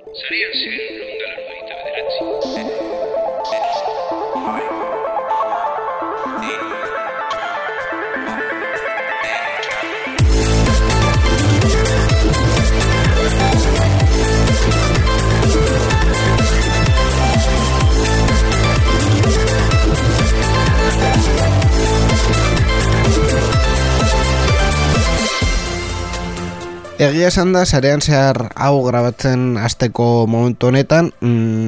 Zarian zen lundalaro baita bederatzi. Egia esan da, sarean zehar hau grabatzen hasteko momentu honetan,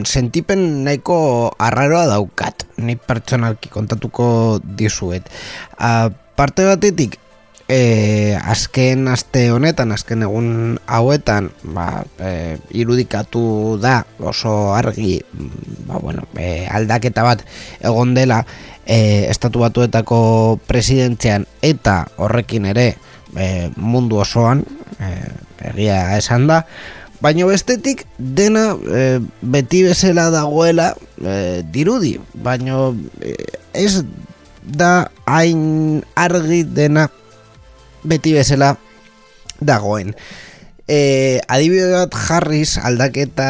sentipen nahiko arraroa daukat, ni pertsonalki kontatuko dizuet. Parte batetik, azken aste honetan, azken egun hauetan, irudikatu da oso argi, aldaketa bat egon dela Estatu Batuetako presidentzian eta horrekin ere mundu osoan, egia esan da, baina bestetik dena beti bezala dagoela dirudi, baina ez da hain argi dena beti bezala dagoen. Adibide bat jarriz aldaketa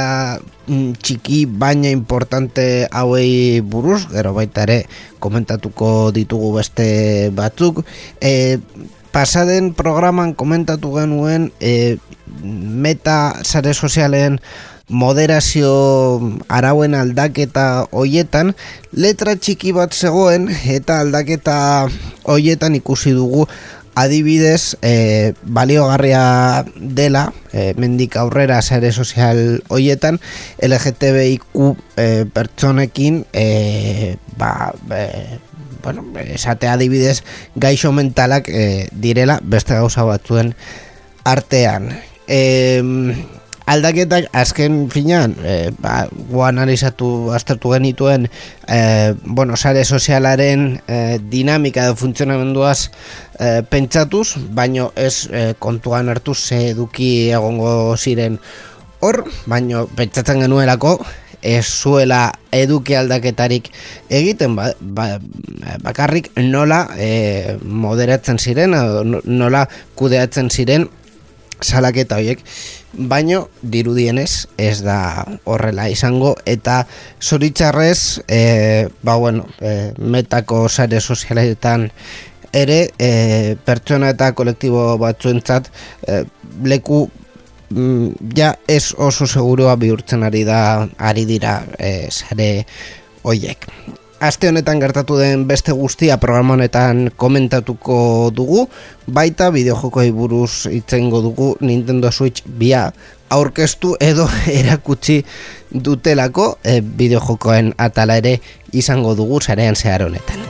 txiki baina importante hauei buruz, gero baita ere komentatuko ditugu beste batzuk. Pasaden programan komentatu genuen meta sare sozialen moderazio arauen aldaketa hoietan letra txiki bat zegoen, eta aldaketa hoietan ikusi dugu adibidez baliogarria dela mendik aurrera sare sozial hoietan LGTBIQ pertsonekin esate adibidez gaixo mentalak direla beste gauza batzuen artean. Aldaketak azken finean analizatu aztertu genituen sare sozialaren dinamika edo funtzionamenduaz pentsatuz, baino ez kontuan hartuz ze eduki egongo ziren hor, baino pentsatzen genuelako ez zuela eduki aldaketarik egiten, bakarrik nola moderatzen ziren, nola kudeatzen ziren salaketa horiek, baino dirudienez ez da horrela izango, eta zoritxarrez metako sare sozialetan ere pertsona eta kolektibo batzuentzat leku ez oso segurua bihurtzen ari dira sare hoiek. Aste honetan gertatu den beste guztia programa honetan komentatuko dugu, baita bideojokoei buruz hitz egingo dugu. Nintendo Switch 2 aurkeztu edo erakutsi dutelako bideojokoen atala ere izango dugu sarean zehar honetan.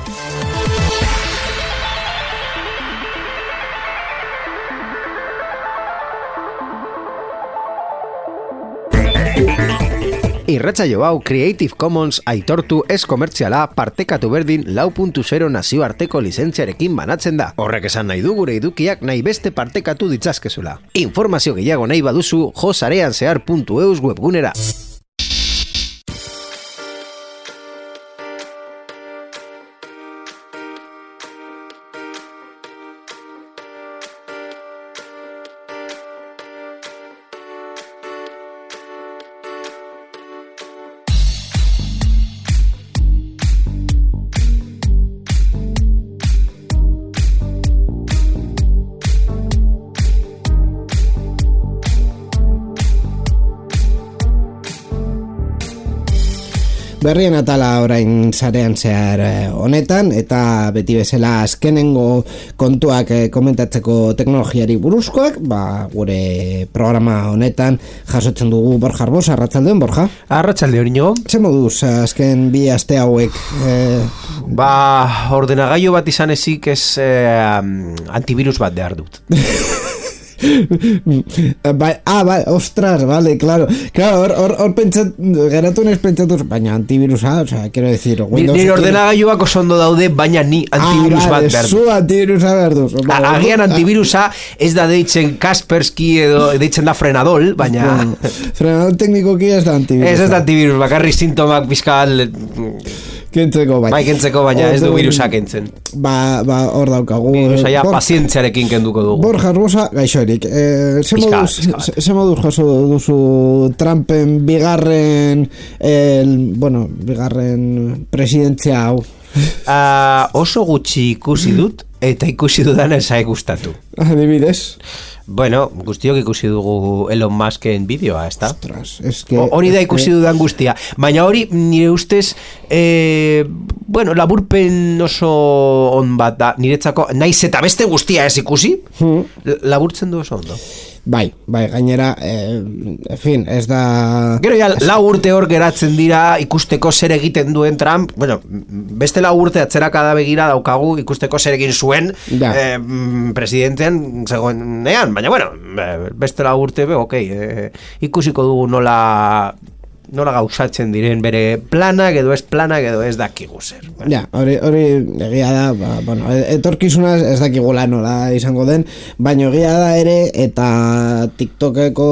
Irratsaio hau Creative Commons aitortu ez komertziala partekatu berdin 4.0 nazioarteko lizentziarekin banatzen da. Horrek esan nahi du gure edukiak nahi beste partekatu ditzazkezula. Informazio gehiago nahi baduzu josareanzehar.eus webgunera. Berrien atala orain sarean zehar honetan, eta beti bezala azkenengo kontuak komentatzeko teknologiari buruzkoak, gure programa honetan jasotzen dugu Borja Arbos. Arratsaldeon, Borja. Arratsaldeon, Inigo. Ze moduz azken bi aste hauek? Ordenagailu bat izan ezik ez antivirus bat behar dut. Ostras, vale, claro, hor geratu nes pentsatuz, baina antivirusa, quiero decir, Windows. Nire ordenagailuak oso ondo daude, baina ni antivirus bat behar dut. Zu antivirusa behar duz. Agian antivirusa ez da deitzen Kaspersky edo deitzen da Frenadol, baina Frenadol teknikoki ez da antivirus. Ez da antivirus, bakarri sintomak fiskal Kentzeko bai. Bai, kentzeko, baina ez du Orduan, virusa kentzen. Ba, hor daukagu. Virusa ja pazientziarekin kenduko dugu. Borja Arbosa, gaixorik. Pixka Ze moduz jaso duzu Trumpen bigarren presidentzia hau? Oso gutxi ikusi dut, eta ikusi dudana esai gustatu. Adibidez? Bueno, guztiok ikusi dugu Elon Musken bideoa, ez da? Ostras, es que... Hori da ikusi dudan guztia. Baina hori, nire ustez, laburpen oso on bat da, niretzako, naiz eta beste guztia ez ikusi, laburtzen du oso ondo. Bai, gainera, en fin, ez da... Gero ja, 4 urte hor geratzen dira ikusteko zer egiten duen Trump, bueno, beste 4 urte atzerakada begira daukagu ikusteko zer egin zuen presidentean zegoenean, baina bueno, beste 4 urte, ikusiko dugu nola gauzatzen diren bere planak edo ez dakigu zer. Ja, hori egia da, etorkizuna ez dakigula nola izango den, baina egia da ere, eta TikTokeko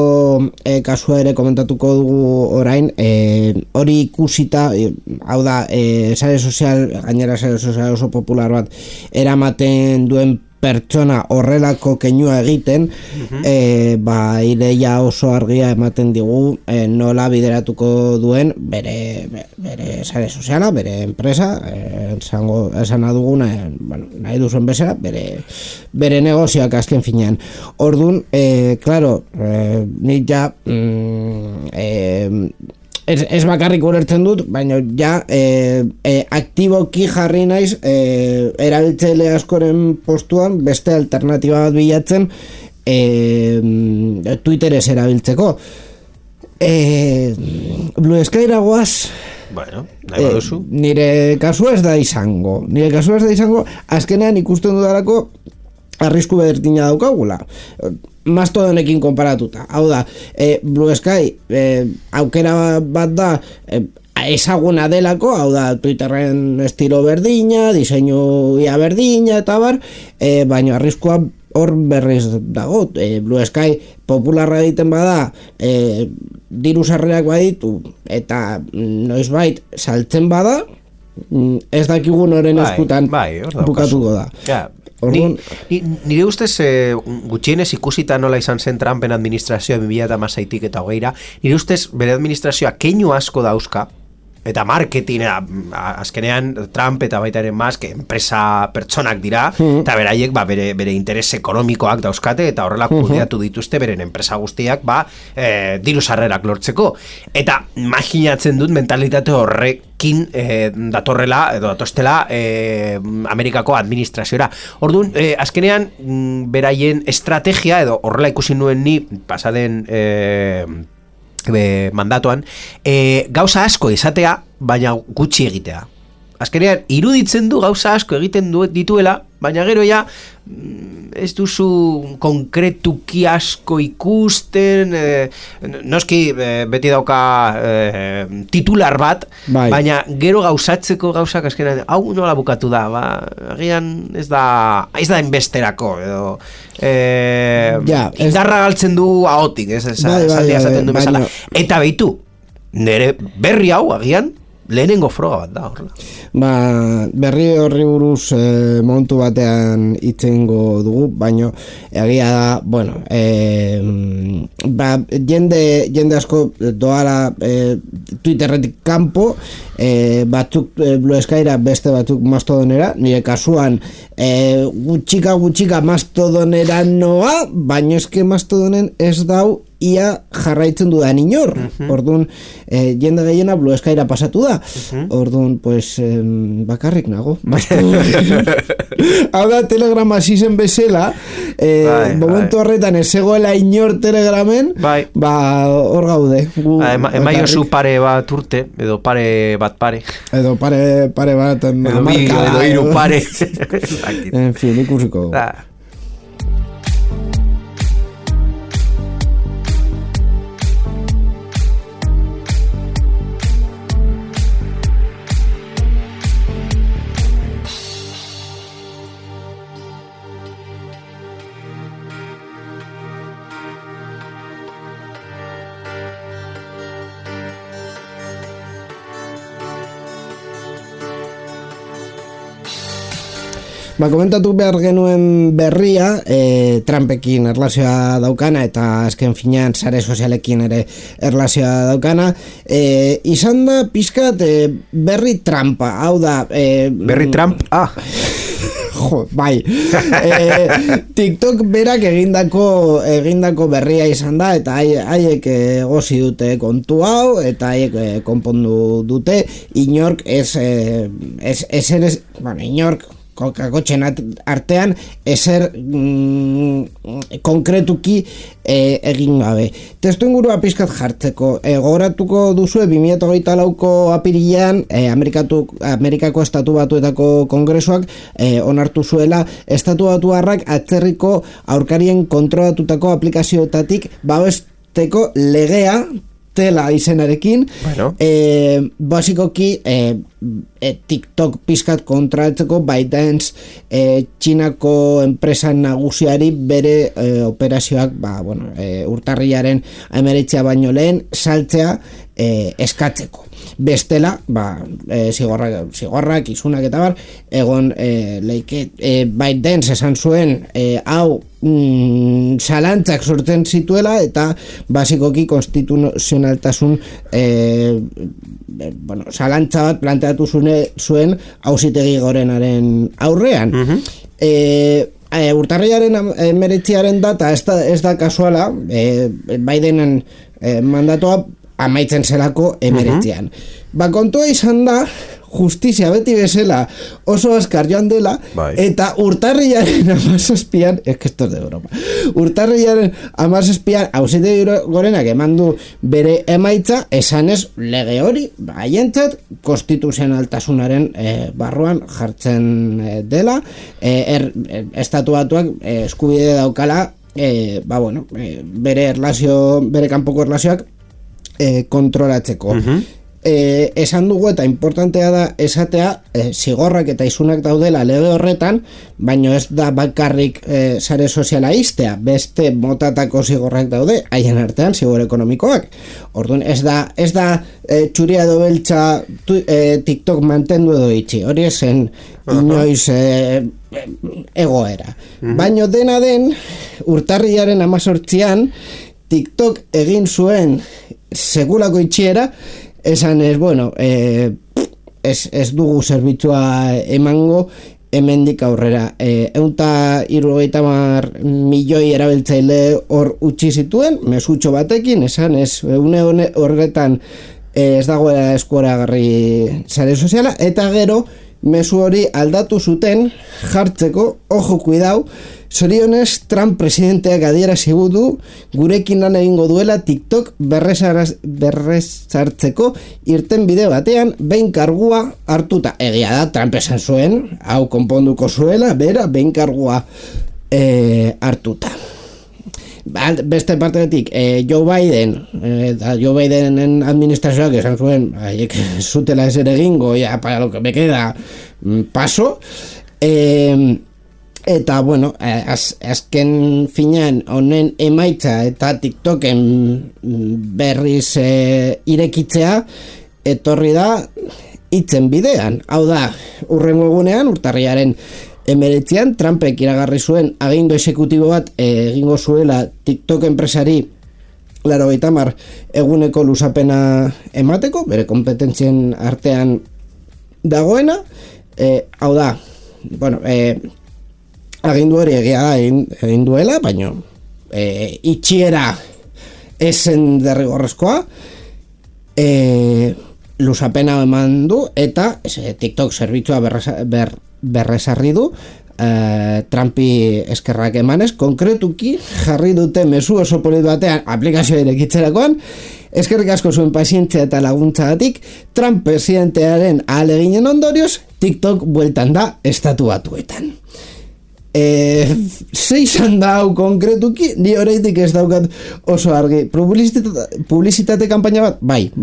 kasua ere komentatuko dugu orain, hori ikusita, hau da, gainera sare sozial oso popular bat, eramaten duen pertsona horrelako keinua egiten, ideia oso argia ematen digu nola bideratuko duen bere sare soziala, bere enpresa, esana duguna, nahi duzuen bezala, bere negozioak azken finean. Orduan, claro, nik ja ez bakarrik ulertzen dut, baina ja aktiboki jarri naiz erabiltzaile askoren postuan beste alternatiba bat bilatzen Twitterez erabiltzeko. Blue Skyra goaz. Bueno, nahi baduzu. Nire kasu ez da izango. Azkenean ikusten dudalako arrisku berdina daukagula. Mastodonekin konparatuta. Hau da, Blue Sky aukera bat da ezaguna delako, hau da, Twitterren estilo berdina, diseinu ia berdina eta bar, baina arriskua hor berriz dago. Blue Sky popularra egiten bada, diru sarrerak baditu eta noizbait saltzen bada, ez dakigun horren eskutan bukatuko da. Ja. Nire ustez gutxienez ikusita nola izan zen Trumpen administrazioa 2016 eta 20 nire ustez bere administrazioa keinu asko dauzka eta marketing azkenean Trump eta baita ere Musk enpresa pertsonak dira eta beraiek bere interes ekonomikoak dauzkate eta horrela kudeatu dituzte beren enpresa guztiak diru sarrerak lortzeko eta imaginatzen dut mentalitate horrekin datorrela edo datostela Amerikako administrazioa. Orduan, azkenean beraien estrategia edo horrela ikusi nuen ni pasaden mandatoan, gauza asko izatea, baina gutxi egitea. Azkenean, iruditzen du gauza asko egiten dituela, baina gero ja ez duzu konkretuki asko ikusten, noski beti dauka titular bat, baina gero gauzatzeko gauzak azkenean, hau nola bukatu da, agian ez da enbesterako, edo indarra galtzen du ahotik, esaldia esaten du bezala. Eta behitu, nire berri hau agian, lehenengo froga bat da horrela. Berri horri buruz momentu batean itzengo dugu, baino egia da, jende asko doala Twitterretik kanpo, batzuk Blue Skyra, beste batzuk Mastodonera, nire kasuan gutxika Mastodonera noa, baino eske Mastodonen ez dau ia jarraitzen dudan inor. Orduan, jende gehiena Blue Skyra pasatu da. Orduan, pues, bakarrik nago. Hau da, Telegram hasi zen bezala, momentu horretan ez zegoela inor Telegramen, hor gaude. Emaiozu pare bat urte, edo pare bat pare. Edo pare bat, edo hiru pare. En fin, ikusiko. komentatu behar genuen berria, Trumpekin erlazioa daukana, eta azken finean sare sozialekin ere erlazioa daukana, izan da pixkat berri Trumpa, hau da... Berri Trump? Jo, bai. TikTok berak egindako berria izan da, eta haiek gozi dute kontu hau, eta haiek konpondu dute, inork inork kakotxen artean ezer konkretuki egin gabe. Testu ingurua pizkat jartzeko, gogoratuko duzue 2024ko apirilean Amerikako Estatu Batuetako Kongresuak onartu zuela Estatu Batuarrak atzerriko aurkarien kontrolatutako aplikazioetatik babesteko legea Tela izenarekin, bueno. Basikoki TikTok pizkat kontratzeko ByteDance Txinako enpresa nagusiari bere operazioak urtarrilaren 19 baino lehen saltzea eskatzeko. Bestela, zigorrak, isunak eta bar, egon leike ByteDance esan zuen hau zalantzak sortzen zituela eta basikoki konstituzionaltasun zalantza bat planteatu zuen auzitegi gorenaren aurrean. Urtarrilaren 19 data ez da kasuala, Bidenen mandatoa amaitzen zelako 19. Kontua izan da, justizia beti bezala oso azkar joan dela, eta urtarrilaren 17an, esto es de broma, urtarrilaren 17an auzitegi gorenak eman du bere emaitza, esanez lege hori, haientzat konstituzionaltasunaren barruan jartzen dela, Estatu Batuak eskubide daukala, bere kanpoko erlazioak kontrolatzeko. Esan dugu eta importantea da esatea zigorrak eta isunak daudela lege horretan, baino ez da bakarrik sare soziala iztea, beste motatako zigorrak daude, haien artean zigor ekonomikoak. Orduan ez da txuria edo beltza TikTok mantendu edo itxi, hori esen inoiz egoera. Baino dena den, urtarrilaren 18an TikTok egin zuen segulako itxiera, esan ez, ez dugu zerbitzua emango hemendik aurrera. 170 milioi erabiltzaile hor utzi zituen, mesutxo batekin, esan ez, une horretan ez dagoela eskuaragarri sare soziala, eta gero mezu hori aldatu zuten jartzeko, ojo kuidau, zorionez Trump presidenteak adierazi du gurekin lan egingo duela TikTok berrezartzeko irten bide batean behin kargua hartuta. Egia da, Trump esan zuen, hau konponduko zuela, bera, behin kargua hartuta. Beste partetik, Joe Bidenen administrazioak esan zuen, haiek zutela ezer egingo, ya, para lo que me queda, paso. Eta, azken finean honen emaitza eta TikToken berriz irekitzea etorri da hitzen bidean. Hau da, hurrengo egunean, urtarrilaren 19an, Trumpek iragarri zuen agindu exekutibo bat egingo zuela TikTok enpresari 80 eguneko luzapena emateko, bere kompetentzien artean dagoena. Hau da, agindu hori egia da egin duela, baina itxiera esen derrigorrezkoa, luzapena eman du, eta TikTok zerbitzua berrezarri du, Trumpi eskerrak emanez, konkretuki jarri dute mezu oso polit batean aplikazioa irekitzerakoan, eskerrik asko zuen pazientzia eta laguntzagatik, Trump presidentearen ahaleginen ondorioz, TikTok bueltan da Estatu Batuetan. Zeizan da hau konkretuki, ni horreitik ez daukat oso argi. Publizitate kampaina bat? Bai,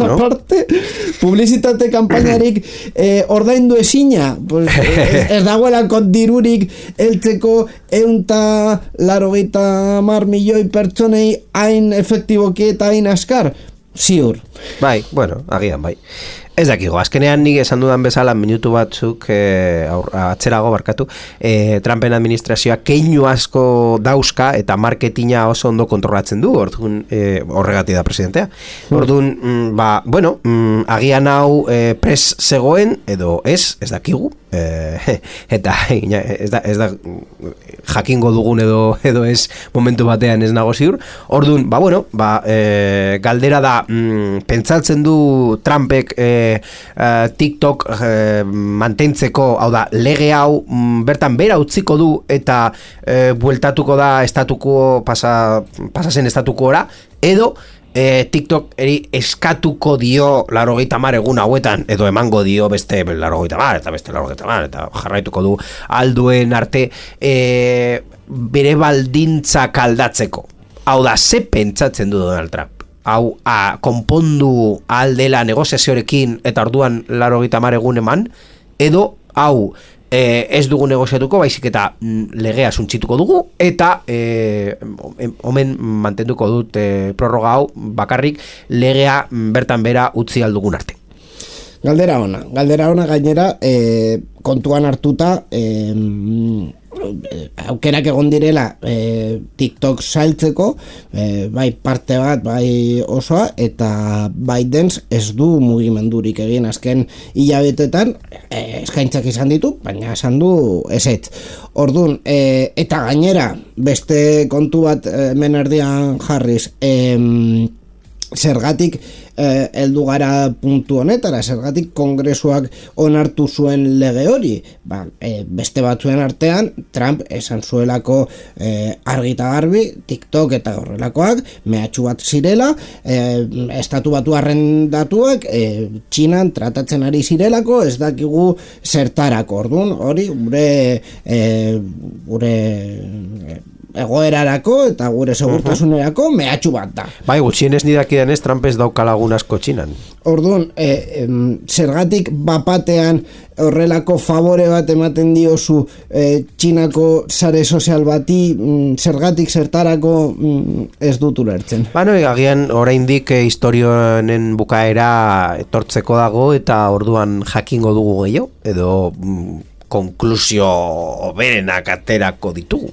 aparte, publizitate kampainarik ordaindu ezina, ez dagoelako dirurik heltzeko 180 milioi pertsonei hain efektiboki eta hain askar, ziur. Bai, agian bai. Ez dakigo, azkenean nik esan dudan bezala minutu batzuk atzerago barkatu, Trumpen administrazioa keinu asko dauzka eta marketinga oso ondo kontrolatzen du, orduan horregatik da presidentea. Orduan, agian hau pres zegoen edo ez dakigu, eta ez da jakingo dugun edo ez momentu batean ez nago ziur. Orduan, galdera da, pentsatzen du Trumpek TikTok mantentzeko, hau da, lege hau bertan bera utziko du eta bueltatuko da pasazen estatukoora, edo TikTok eri eskatuko dio 80 egun hauetan, edo emango dio beste 80 eta beste 80 eta jarraituko du alduen arte bere baldintzak aldatzeko. Hau da, ze pentsatzen du Donald Trump? Hau konpondu aldela negoziaziorekin eta orduan 80 egun eman, edo hau ez dugu negoziatuko, baizik eta legea suntsituko dugu, eta omen mantenduko dut prorroga hau bakarrik legea bertan bera utzi aldugun arte. Galdera ona gainera, kontuan hartuta aukerak egon direla TikTok saltzeko, bai parte bat, bai osoa, eta ByteDance ez du mugimendurik egin azken hilabetetan, eskaintzak izan ditu, baina esan du ezetz. Orduan, eta gainera beste kontu bat hemen erdian jarriz, zergatik heldu gara puntu honetara, zergatik kongresuak onartu zuen lege hori, beste batzuen artean Trump esan zuelako argi eta garbi TikTok eta horrelakoak mehatxu bat zirela, estatu batuarren datuak Txinan tratatzen ari zirelako, ez dakigu zertarako. Orduan hori gure egoerarako eta gure segurtasunerako mehatxu bat da. Bai, gutxienez nidakidan ez, Trump ez dauka lagun asko Txinan. Orduan, zergatik bapatean horrelako favore bat ematen diozu Txinako sare sozial bati, zergatik zertarako ez dut ulertzen. Agian oraindik historionen bukaera etortzeko dago eta orduan jakingo dugu gehiago, edo konklusio oberenak aterako ditugu.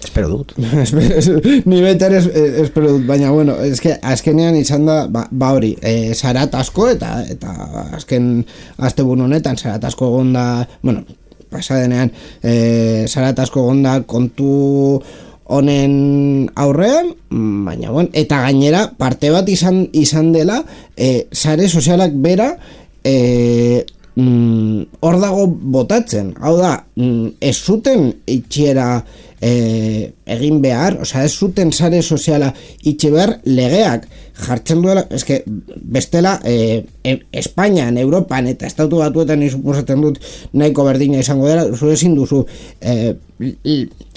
Espero dut. Ni beter espero dut, baina bueno, eske azkenean izan da hori, zarat asko eta azken asteburu honetan zarat asko egonda, bueno, pasadenean zarat asko egonda kontu honen aurrean, baina bueno, eta gainera parte bat izan dela sare sozialak bera hor dago botatzen. Hau da, ez zuten itxiera egin behar, osea, ez zuten sare soziala itxe behar legeak jartzen duela, eske bestela Espainian, Europan eta Estatu Batuetan suposatzen dut nahiko berdina izango dela, zure ezin duzu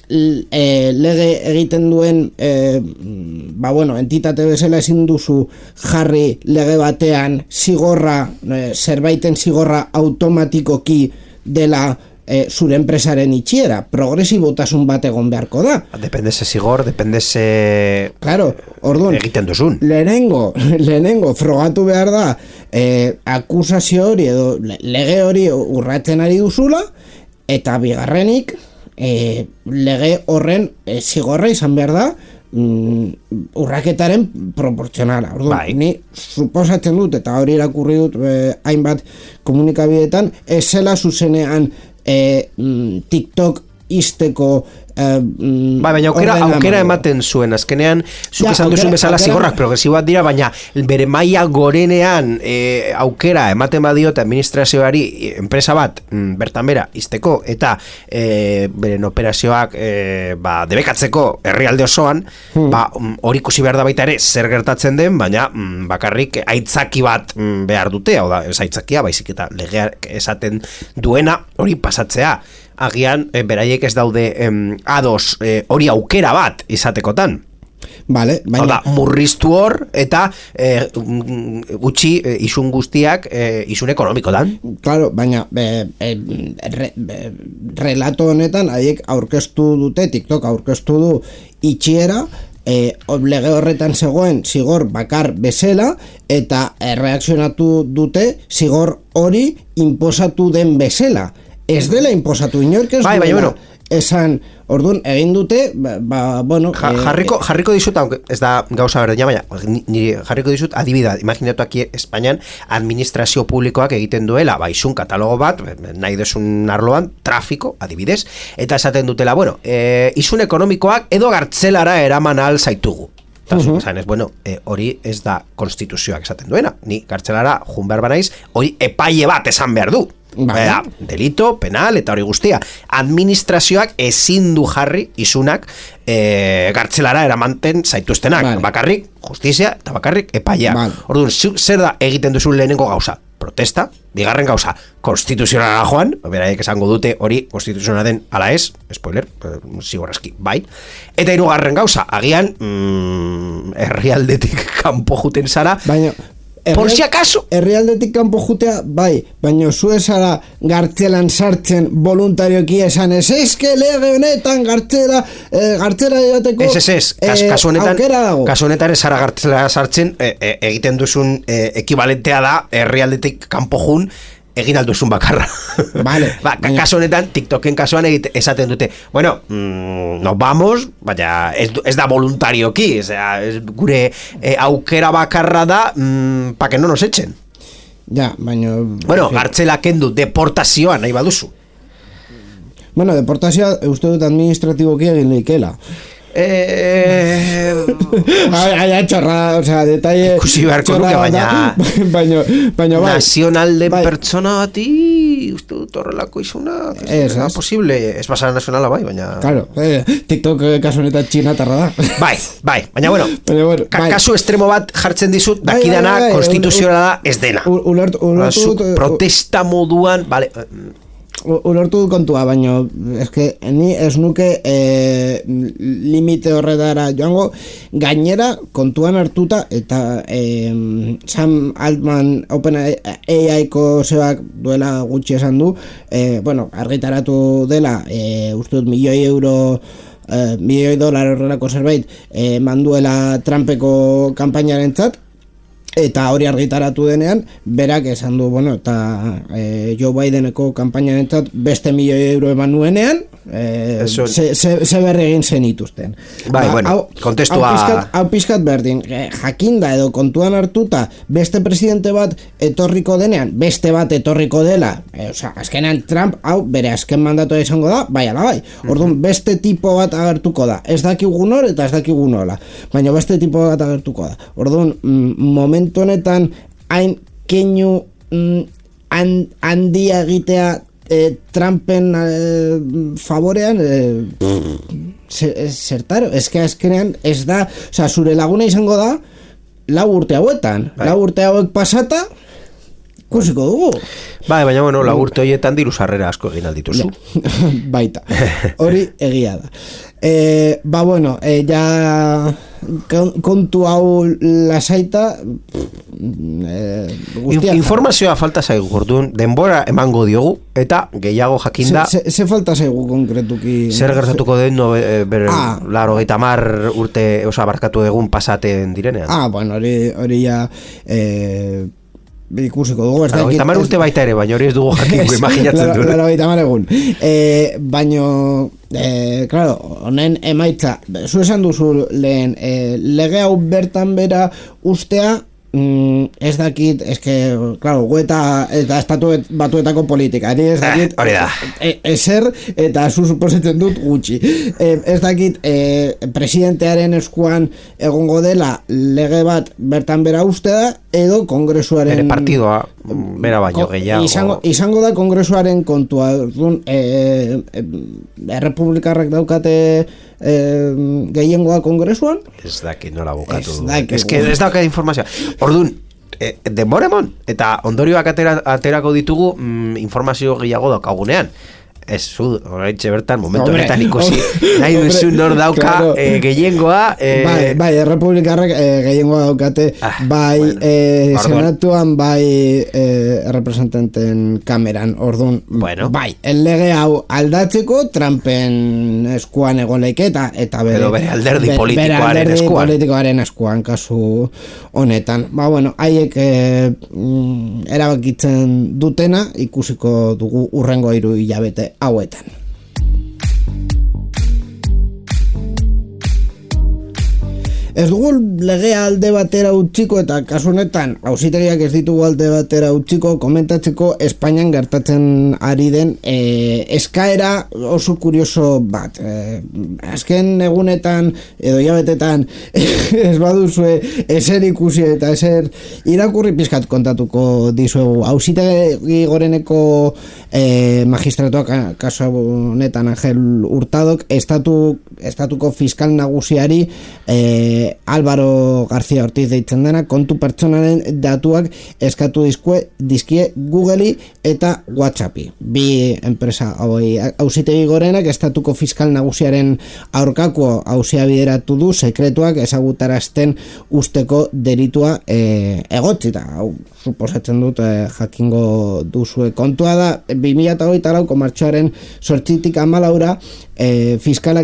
lege egiten duen entitate bezala ezin duzu jarri lege batean zigorra, zerbaiten zigorra automatikoki dela zure enpresaren itxiera, progresibotasun bat egon beharko da. Depende ze zigor, depende ze orduan, egiten duzun. Lehenengo frogatu behar da akusazio hori edo lege hori urratzen ari duzula, eta bigarrenik lege horren zigorra izan behar da urraketaren proportzionala. Orduan, ni suposatzen dut, eta hori irakurri dut hainbat komunikabideetan, ez zela zuzenean TikTok izteko baina aukera ematen zuen azkenean, zuk esan duzun bezala zigorrak progresiboak dira, baina bere maila gorenean aukera ematen badiote administrazioari enpresa bat bertan bera izteko eta beren operazioak debekatzeko herrialde osoan, hori ikusi behar da baita ere zer gertatzen den, baina bakarrik aitzaki bat behar dute, hau da, ez aitzakia, baizik eta legeak esaten duena hori pasatzea. Agian, beraiek ez daude ados hori aukera bat izatekotan. Vale, baina... Oda, murriztu hor eta gutxi isun guztiak isun ekonomikotan. Claro, baina relato honetan haiek aurkeztu dute, TikTok aurkeztu du itxiera, lege horretan zegoen zigor bakar bezala, eta erreakzionatu dute zigor hori inposatu den bezala. Ez dela inposatu, inork ez Bai, duela bueno. esan, orduan, egin dute, bueno... Jarriko dizut, aunque ez da gauza berdina, baina nire jarriko dizut adibida, imaginatu aquí Espainian administrazio publikoak egiten duela, izun katalogo bat, nahi desun arloan, trafiko, adibidez, eta esaten dutela, bueno, izun ekonomikoak edo gartzelara eraman ahal zaitugu. Eta esan ez, bueno, hori ez da konstituzioak esaten duena, ni gartzelara jun behar banaiz, hori epaile bat esan behar du. Bada, delito, penal, eta hori guztia. Administrazioak ezin du jarri izunak gartzelara eramanten zaituztenak. Bakarrik justizia eta bakarrik epaileak. Orduan, zer da egiten duzun lehenengo gauza? Protesta, bigarren gauza, konstituzionala joan, beraiek esango dute hori konstituzionala den ala ez, spoiler, zigorrazki, bai. Eta hirugarren gauza, agian herrialdetik kanpo juten zara, baina por si acaso. Herrialdetik kanpo jutea, bai, baina zu esara gartzelan sartzen voluntarioki esan eske lege honetan gartzela joateko kasu honetan ez zara gartzela sartzen egiten duzun ekibalentea da herrialdetik kanpo jun egin alduzun bakarra. Vale, kasu honetan, TikToken kasuan esaten dute, bueno, nos vamos, baina ez da voluntarioki, gure aukera bakarra da pa que no nos echen. Ja, baina... Bueno, gartzela kendu, deportazioa nahi baduzu. Bueno, deportazioa uste dut administratiboki egin leikela. Txorra, o sea, detalle ikusi beharko nuke, baina bai, nazional den pertsona bati uste dut horrelako izuna ez posible, ez pasara nazionala bai, baina claro, TikTok kasu honetan txinatarra da bai, baina bueno, kasu estremo bat jartzen dizut, dakidana konstituzioa da ez dena protesta moduan, vale. Ulertu du kontua, baina eske ni ez nuke limite horretara joango, gainera kontuan hartuta eta Sam Altman OpenAI-ko zebak duela gutxi esan du, bueno, argitaratu dela uste dut $1.000.000 horrelako zerbait manduela Trumpeko kanpainarentzat. Eta hori argitaratu denean, berak esan du, bueno, eta Joe Bideneko kanpainarentzat beste €1.000.000 eman nuenean, ze berri egin zenituzten. Bai, bueno, kontestua... Hau pizkat berdin, jakinda edo kontuan hartuta beste presidente bat etorriko denean, beste bat etorriko dela, azkenean Trump, hau bere azken mandatoa izango da, bai ala bai. Orduan, beste tipo bat agertuko da. Ez dakigu nor eta ez dakigu nola. Baina beste tipo bat agertuko da. Orduan, momentu honetan hain keinu handia egitea Trumpen favorean zertaro, eske azkenean ez da, oza, zure laguna izango da 4 urte hauetan, 4 urte hauek pasata ikusiko dugu. Bai, baina bueno, 4 urte horietan diru sarrera asko egin aldituzu. Baita, hori egia da. Bueno, ja kontu hau lasaita informazioa falta zaigu, orduan denbora emango diogu eta gehiago jakinda ze falta zaigu konkretuki zer gertatuko den 80 urte barkatu egun pasaten direnean. Bueno, hori ja ikusiko dugu, tamar urte baita ere, baina hori ez dugu jakinko imaginatzen du. Tamar egun. Baina, claro, honen emaitza, zu esan duzu lehen, lege hau bertan bera ustea, ez dakit, eske, claro, eta estatu batuetako politika, ez dakit, ezer, eta zu suposetzen dut gutxi. Ez dakit, presidentearen eskuan egongo dela lege bat bertan bera ustea, edo kongresuaren... Bere partidoa, bera baino gehiago. Izango da kongresuaren kontua, errepublikarrak daukate gehiengoa kongresuan? Ez dakit nola bukatu. Ez daukat informazioa. Orduan, denboremon, eta ondorioak aterako ditugu informazio gehiago daukagunean. Ez, zu, oraintxe bertan, momentu Hombre, honetan ikusi, nahi duzu nor dauka claro. gehiengoa. Bai, errepublikarrak gehiengoa daukate, bai bueno, senatuan, bai representanten kameran, orduan, Bueno. bai, lege hau aldatzeko Trumpen eskuan egoleketa, eta Edo bere alderdi politikoaren bere alderdi eskuan. politikoaren eskuan, kasu honetan. Ba, bueno, haiek erabakitzen dutena, ikusiko dugu urrengo 3 hilabete hauetan. Ez dugu legea alde batera utziko eta kasu honetan auzitegiak ez ditugu alde batera utziko komentatzeko Espainian gertatzen ari den eskaera oso kurioso bat. Azken egunetan edo hilabetetan ez baduzue ezer ikusi eta ezer irakurri pizkat kontatuko dizuegu. Auzitegi goreneko magistratuak kasu honetan Angel Hurtadok estatuko fiskal nagusiari Álvaro García Ortiz deitzen dena kontu pertsonaren datuak eskatu dizkie Googleri eta WhatsAppi. Bi enpresa hauei auzitegi gorenak estatuko fiskal nagusiaren aurkako auzia bideratu du sekretuak ezagutarazten usteko delitua egotzita. Hau suposatzen dut jakingo duzue kontua da 2024ko martxoaren 8tik 14ra fiskalak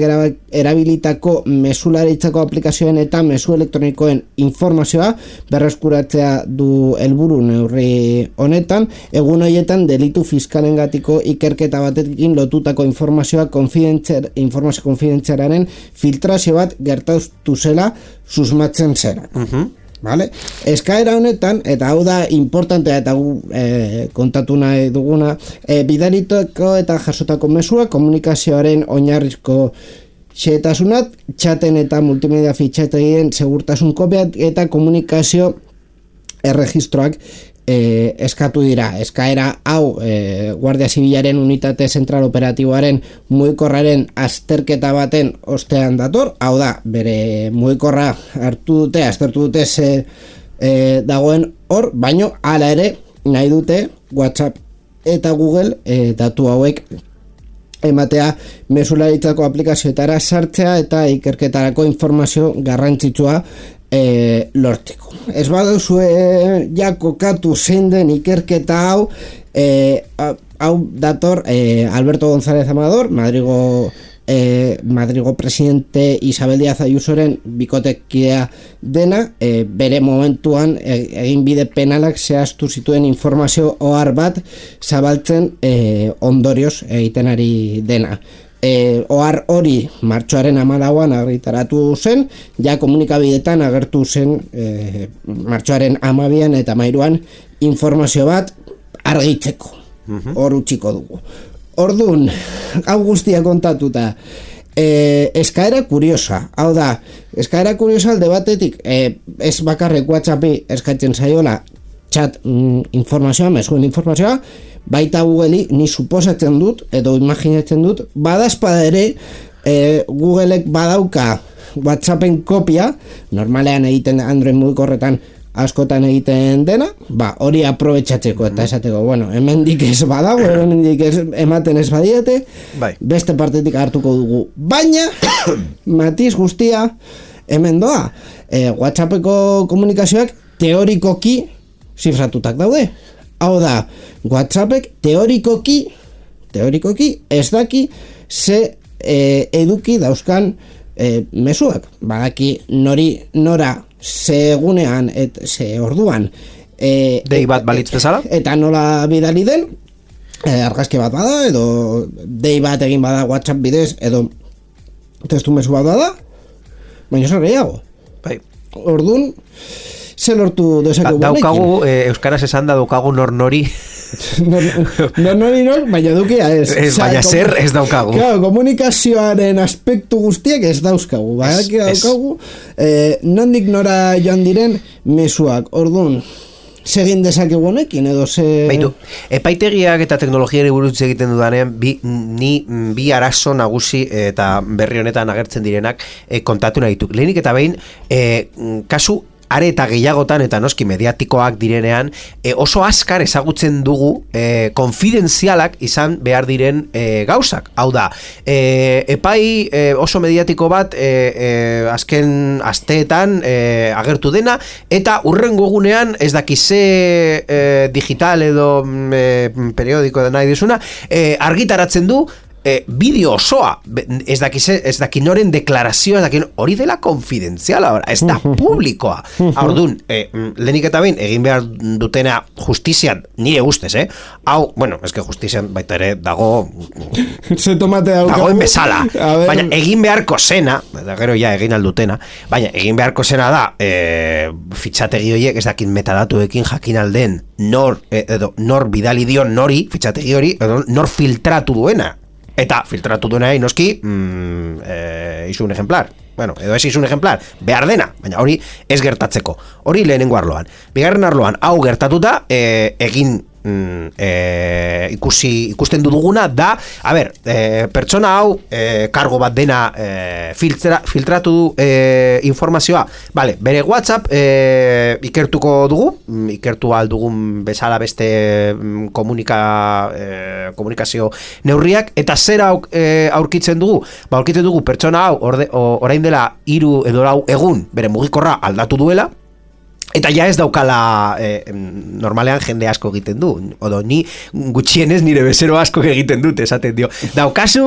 erabilitako mesularitzako aplikazioen eta mezu elektronikoen informazioa berreskuratzea du helburu neurri honetan. Egun horietan delitu fiskalengatiko ikerketa batekin lotutako informazio konfidentzialaren filtrazio bat gertatu zela susmatzen zera. Vale? Eskaera honetan, eta hau da importantea eta kontatu nahi duguna, bidalitako eta jasotako mesua komunikazioaren oinarrizko xehetasunat, txaten eta multimedia fitxategien segurtasun kopiak eta komunikazio erregistroak eskatu dira. Eskaera hau Guardia Zibilaren unitate zentral operatiboaren mugikorraren azterketa baten ostean dator, hau da, bere mugikorra aztertu dute ze dagoen hor, baino hala ere nahi dute WhatsApp eta Google datu hauek ematea mesularitzako aplikazioetara sartzea eta ikerketarako informazio garrantzitsua lortzeko. Ez baduzue ja kokatu zein den ikerketa hau, hau dator Alberto González Amador, Madrigo presidente Isabel Díaz Ayusoren bikotekidea dena, bere momentuan eginbide penalak zehaztu zituen informazio ohar bat zabaltzen ondorioz egiten ari dena. Ohar hori martxoaren 14an argitaratu zen, ja komunikabidetan agertu zen martxoaren 12an eta 13an informazio bat argitzeko. Hor utziko dugu. Orduan, hau guztia kontatuta, eskaera kuriosa, hau da, eskaera kuriosa alde batetik, ez bakarrek WhatsAppi eskatzen zaiola chat informazioa, mesuen informazioa, baita Googleri ni suposatzen dut, edo imaginatzen dut, badazpada ere, Googleek badauka WhatsAppen kopia, normalean egiten Android mugikorretan askotan egiten dena, hori aprobetxatzeko eta esateko, bueno, hemendik ez badago, hemendik ematen ez badiete, beste partetik hartuko dugu. Baina, matiz guztia, hemen doa, WhatsAppeko komunikazioak teorikoki zifratutak daude. Hau da, WhatsAppek teorikoki ez daki ze eduki dauzkan mezuak. Badaki nora ze egunean ze orduan dei bat balitz bezala eta nola bidali den, argazki bat bada edo dei bat egin bada WhatsApp bidez edo testu mezu bat bada, baina zer gehiago. Orduan ze lortu dezakegu daukagu, euskaraz esan da daukagu nori nor, baina dukia ez. Baina zer ez daukagu. Claro, komunikazioaren aspektu guztiak ez dauzkagu. Daukagu, nondik nora joan diren mezuak. Orduan, segin dezakegu honekin edo ze... Baitu, epaitegiak eta teknologiari buruz egiten dudanean bi arazo nagusi eta berri honetan agertzen direnak kontatu nahi dituk. Lehenik eta behin, kasu are eta gehiagotan eta noski mediatikoak direnean, oso azkar ezagutzen dugu konfidenzialak izan behar diren gauzak. Hau da, epai oso mediatiko bat azken asteetan agertu dena, eta urrengo egunean ez dakize digital edo periodiko da nahi dizuna, argitaratzen du bideo osoa, ez dakinoren deklarazioa, hori dela konfidenziala, ez da publikoa. Orduan, lehenik eta behin egin behar dutena justizian, nire ustez, hau, bueno, eske justizian baita ere dago dagoen bezala, baina egin beharko zena, eta gero ja egin aldutena, baina egin beharko zena da fitxategi horiek ez dakin metadatuekin jakin alden nor bidali dion nori, fitxategi hori, edo nor filtratu duena. Eta filtratu duena noski izun ejemplar. Bueno, edo ez izun ejemplar, behar dena, baina hori ez gertatzeko. Hori lehenengo arloan. Bigarren arloan, hau gertatuta, egin ikusten duguna da, a ber, pertsona hau kargo bat dena filtratu du informazioa. Vale, bere WhatsApp ikertuko dugu, ikertu aldugun bezala beste komunikazio neurriak, eta zera aurkitzen dugu? Ba, aurkitzen dugu pertsona hau orain dela 3 edo 4 egun bere mugikorra aldatu duela, eta ja ez daukala normalean jende asko egiten du, odo ni gutxienez nire bezero asko egiten dut, esaten dio, daukazu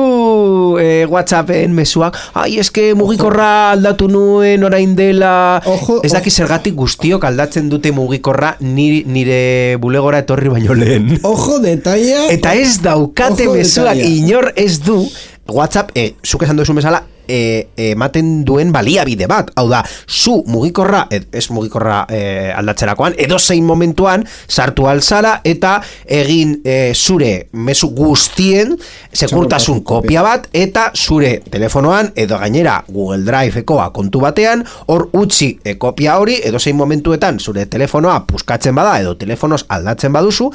WhatsAppen mezuak, ai eske mugikorra aldatu nuen orain dela, ez daki zergatik guztiok aldatzen dute mugikorra nire bulegora etorri baino lehen. Ojo detaila. Eta ez daukate mezuak, inor ez du WhatsApp, zuk esan duzu bezala, ematen duen baliabide bat, hau da, zu mugikorra, ez mugikorra aldatzerakoan, edo zein momentuan sartu alzara eta egin zure mezu guztien sekurtasun kopia bat, eta zure telefonoan edo gainera Google Drive-ekoa kontu batean, hor utzi kopia hori, edo zein momentuetan zure telefonoa puskatzen bada edo telefonoz aldatzen baduzu,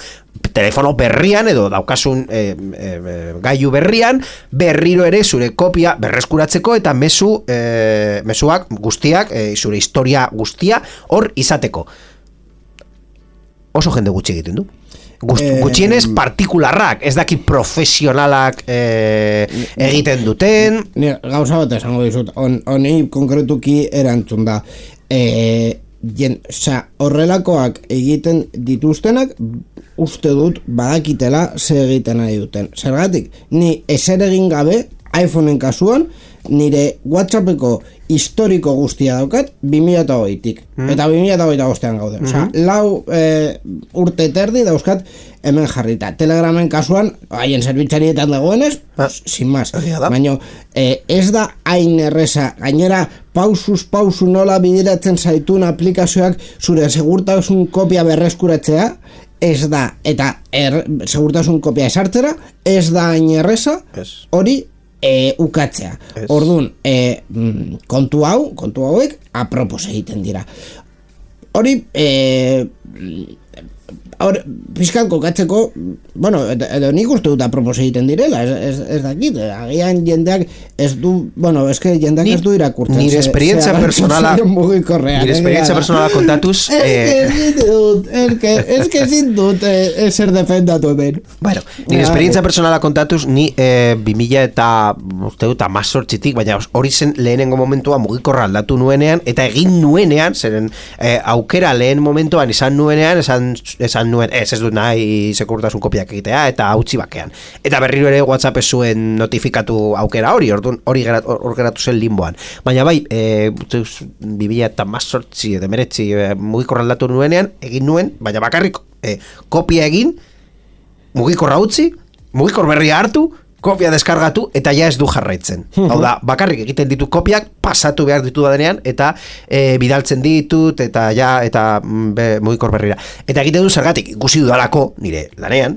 telefono berrian edo daukasun gailu berrian, berriro ere zure kopia berreskuratzeko eta mezuak guztiak, zure historia guztia hor izateko. Oso jende gutxi egiten du. Gutxienez partikularrak, ez dakit profesionalak egiten duten. Gauza bat esango dizut, honi konkretuki erantzun da. Horrelakoak egiten dituztenak uste dut badakitela ze egiten nahi duten. Zergatik, ni ezer egin gabe iPhoneen kasuan nire WhatsAppeko historiko guztia daukat 2008-tik. Eta 2008an gaude. Osea, 4 urte terdi dauzkat hemen jarrita. Telegramen kasuan, haien zerbitzarietan dagoenez, sin más. Baina ez da hain erreza. Gainera, pausuz pausu nola bideratzen zaitun aplikazioak zure segurtasun kopia berreskuratzea, ez da, eta segurtasun kopia esartzera, ez da hain erreza, hori ukatzea. Orduan, kontu hauek apropos egiten dira. Hori pizkat kokatzeko, bueno, edo nik uste dut apropos egiten direla, ez dakit, agian jendeak ez du, bueno, eske jendeak ez du irakurtzen. Nire esperientzia personala kontatuz, eske zin dut eser defendatu hemen. Bueno, nire esperientzia personala kontatuz, ni 2000 eta uste dut 18-tik, baina hori zen lehenengo momentua mugikorra aldatu nuenean, eta egin nuenean, zeren aukera lehen momentuan izan nuenean, esan nuen, ez dut nahi sekurtasun kopiak egitea, eta hautsi bakean. Eta berriro ere WhatsApp ez zuen notifikatu aukera hori, hori geratu zen limboan. Baina bai, 2000 eta 18 demeretzi mugikorra aldatu nuenean, egin nuen, baina bakarrik kopia egin, mugikorra utzi, mugikor berria hartu, kopia deskargatu, eta ja ez du jarraitzen. Hau da, bakarrik egiten ditut kopiak, pasatu behar ditu denean, eta bidaltzen ditut, eta ja, eta mugikor berrira. Eta egiten du zergatik, ikusi dudalako, nire lanean,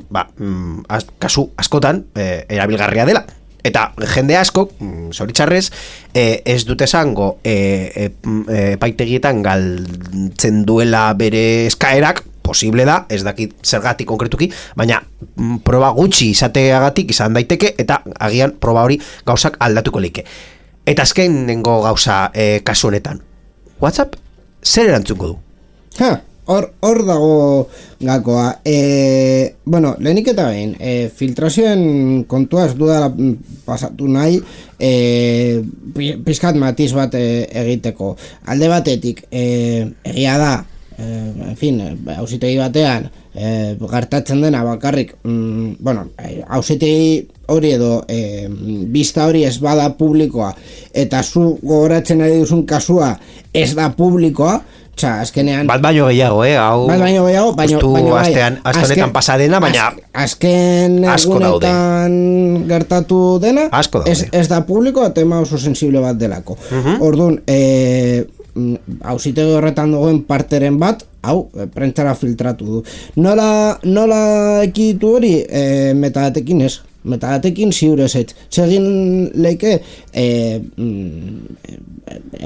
kasu askotan, erabilgarria dela. Eta jende asko, zoritxarrez, ez dute esango epaitegietan galtzen duela bere eskaerak, posible da, ez dakit zergatik konkretuki, baina proba gutxi izateagatik izan daiteke, eta agian proba hori gauzak aldatuko leike. Eta azkenengo gauza kasu honetan, WhatsApp zer erantzuko du? Hor dago gakoa. Bueno, lehenik eta behin, filtrazioen kontua ez dudala pasatu nahi, pizkat matiz bat egiteko. Alde batetik, egia da, en fin, auzitegi batean, gertatzen dena bakarrik, bueno, auzitegi hori edo bista hori ez bada publikoa, eta zu gogoratzen ari duzun kasua ez da publikoa, azkenean... Bat baino gehiago, hau... Bat baino gehiago, baino aste honetan pasadena, baina... Azken egunetan gertatu dena, ez da publiko, tema oso sensible bat delako. Orduan, auzitegi horretan dagoen parteren bat, hau, prentzara filtratu du. Nola ekiditu hori, metadatekin ez. Metadatekin ziurez ez. Segin leike,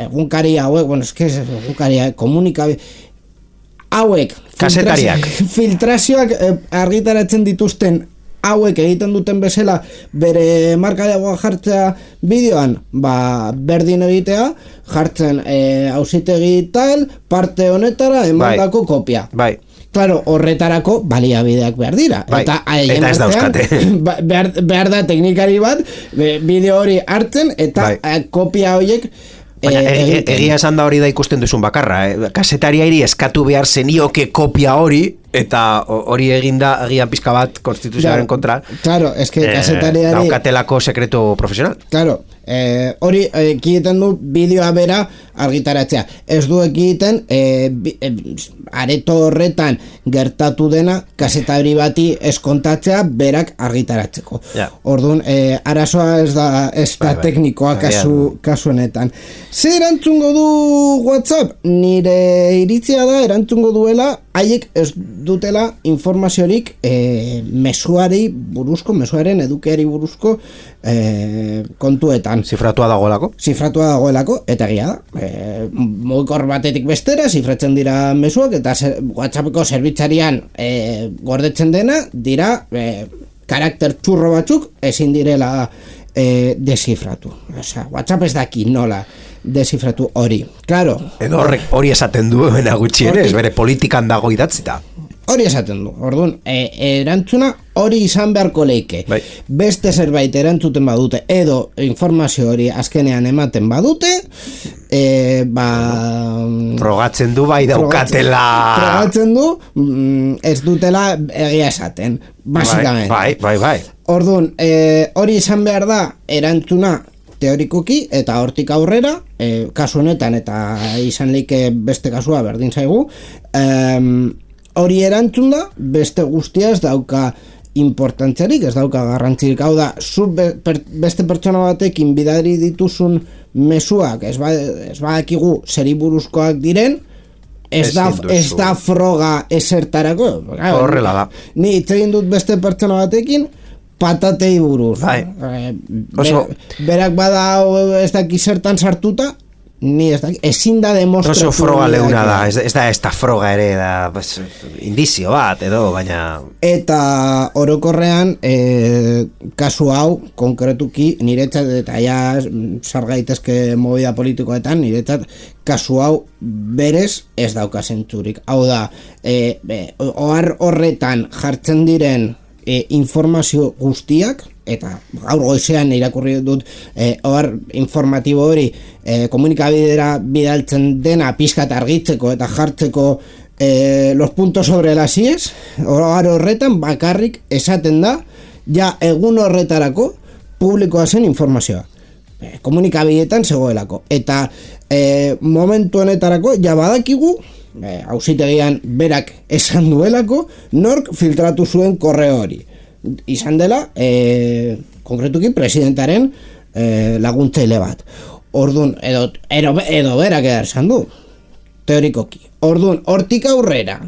egunkari hauek, bueno, egunkari komunikabi... Hauek, kasetariak, filtrazioak argitaratzen dituzten hauek egiten duten bezala bere markaiagoa jartzea bideoan, berdin egitea, jartzen auzitegi tal, parte honetara emandako kopia. Bai. Claro, horretarako baliabideak behar dira. Eta ez dauzkate. Behar da teknikari bat, bideo hori hartzen, eta kopia horiek... Baina, egia esan da hori da ikusten duzun bakarra, kasetariari eskatu behar zenioke kopia hori, eta hori eginda agian pizka bat konstituzioaren kontra. Claro, eske kasetariari... Daukatelako sekreto profesional. Claro, hori ekiten du bideoa bera argitaratzea. Ez du ekiten areto horretan gertatu dena kasetari bati eskontatzea berak argitaratzeko. Orduan, arazoa ez da teknikoa kasu honetan. Ze erantzungo du WhatsApp? Nire iritzia da erantzungo duela haiek ez dutela informaziorik mezuari buruzko, mezuaren edukeari buruzko kontuetan. Zifratua dagoelako? Zifratua dagoelako, eta egia da. Mugikor batetik bestera, zifratzen dira mezuak, eta WhatsAppeko zerbitzarian gordetzen dena, dira karakter txurro batzuk ezin direla desifratu. Osea, WhatsApp ez daki nola desifratu hori. Claro. Edo hori esaten du gutxienez, bere politikan dago idatzita. Hori esaten du. Orduan, erantzuna hori izan beharko leike. Beste zerbait erantzuten badute edo informazio hori azkenean ematen badute, frogatzen du bai daukatela. Frogatzen du, ez dutela egia esaten, basikamente. Bai. Orduan, hori izan behar da erantzuna teorikoki eta hortik aurrera, kasu honetan eta izan leike beste kasua berdin zaigu, hori erantzun da, beste guztia ez dauka importantzerik, ez dauka garrantzirik. Hau da, zu beste pertsona batekin bidari dituzun mezuak, ez badakigu zeri buruzkoak diren, ez da froga esertarako. Horrela da. Ni hitz egin dut beste pertsona batekin, patatei buruz. Berak bada ez daki zertan sartuta, ni ezin da demostratu. Oso froga leuna da, ez da froga ere, da indizio bat edo, baina... Eta orokorrean, kasu hau, konkretuki, niretzat, eta ja sargaitezke movida politikoetan, niretzat, kasu hau berez ez dauka zentzurik. Hau da, ohar horretan jartzen diren informazio guztiak, eta gaur goizean irakurri dut ohar informatibo hori komunikabidera bidaltzen dena pizkat argitzeko eta jartzeko los puntos sobre las ies, ohar horretan bakarrik esaten da ja egun horretarako publikoa zen informazioa. Komunikabideetan zegoelako. Eta momentu honetarako ja badakigu auzitegian berak esan duelako nork filtratu zuen korreo hori. Izan dela, konkretuki presidentaren laguntzaile bat. Orduan, edo berak esan du, teorikoki. Orduan, hortik aurrera,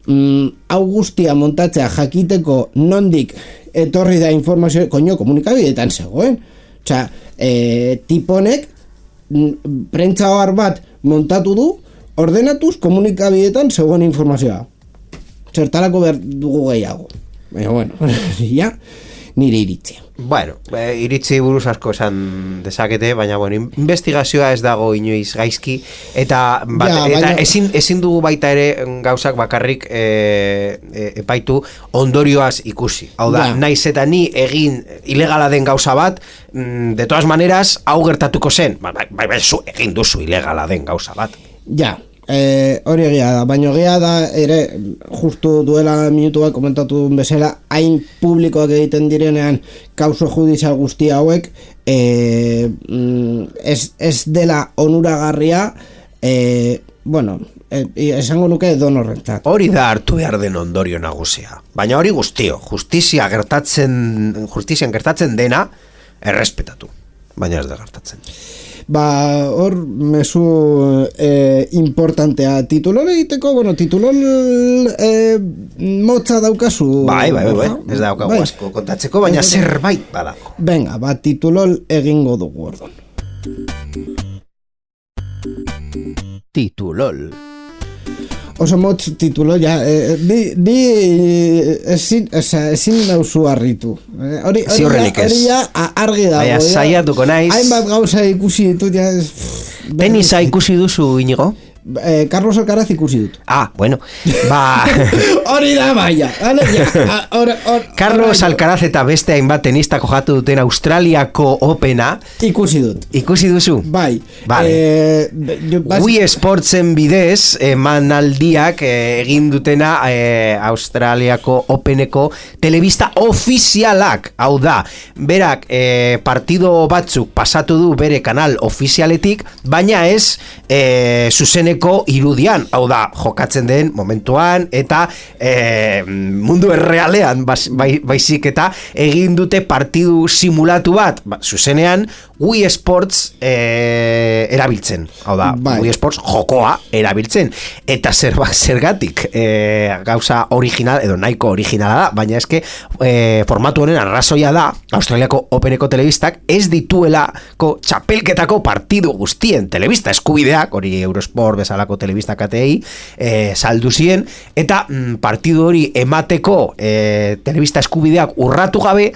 hau guztia montatzea jakiteko nondik etorri da informazio, komunikabideetan zegoen. Osea, tiponek prentza ohar bat montatu du, ordenatuz komunikabideetan zegoen informazioa. Zertarako behar dugu gehiago. Baina, bueno, ja. nire iritzia. Bueno, iritzi buruz asko esan dezakete, baina bueno, investigazioa ez dago inoiz gaizki, eta baina... ezin dugu baita ere gauzak bakarrik epaitu ondorioaz ikusi. Hau da, naiz eta ni egin ilegala den gauza bat, de todas maneras, hau gertatuko zen. Bai, zu egin duzu ilegala den gauza bat. Ja, hori egia da, baina egia da ere justu duela minutu bat komentatu bezala, hain publikoak egiten direnean kauso judizial guzti hauek ez dela onuragarria, bueno, esango nuke donorrentzat. Hori da hartu behar den ondorio nagusia. Baina hori guztio, justizian gertatzen dena errespetatu, baina ez da gertatzen. Hor mezu importantea titulol egiteko, bueno, titulol motza daukazu. Bai, ez daukagu asko kontatzeko, baina zerbait badago. Venga, titulol egingo dugu ordon. Titulol. Oso motz titulo, ja, ni ezin nauzu harritu. Hori ja argi dago. Baina saiatuko naiz. Hainbat gauza ikusi ditut, ja. Tenisa ikusi duzu, Inigo? Carlos Alcaraz ikusi dut. Bueno, hori da baia. Carlos Alcaraz eta beste hainbat tenista jokatu duten Australiako Opena ikusi dut. Ikusi duzu? Bai. Wii Sportsen bidez emanaldiak egin dutena Australiako Openeko telebista ofizialak. Hau da, berak partido batzuk pasatu du bere kanal ofizialetik, baina ez zuzeneko irudian, hau da, jokatzen den momentuan eta mundu errealean baizik eta egin dute partidu simulatu bat, zuzenean Wii Sports erabiltzen, hau da, Wii Sports jokoa erabiltzen, eta zergatik gauza original, edo nahiko originala da, baina eske formatu honen arrazoia da, Australiako Openeko telebistak ez dituelako txapelketako partidu guztien telebista eskubideak, hori Eurosport bezalako telebista katei saldu zien, eta partidu hori emateko telebista eskubideak urratu gabe,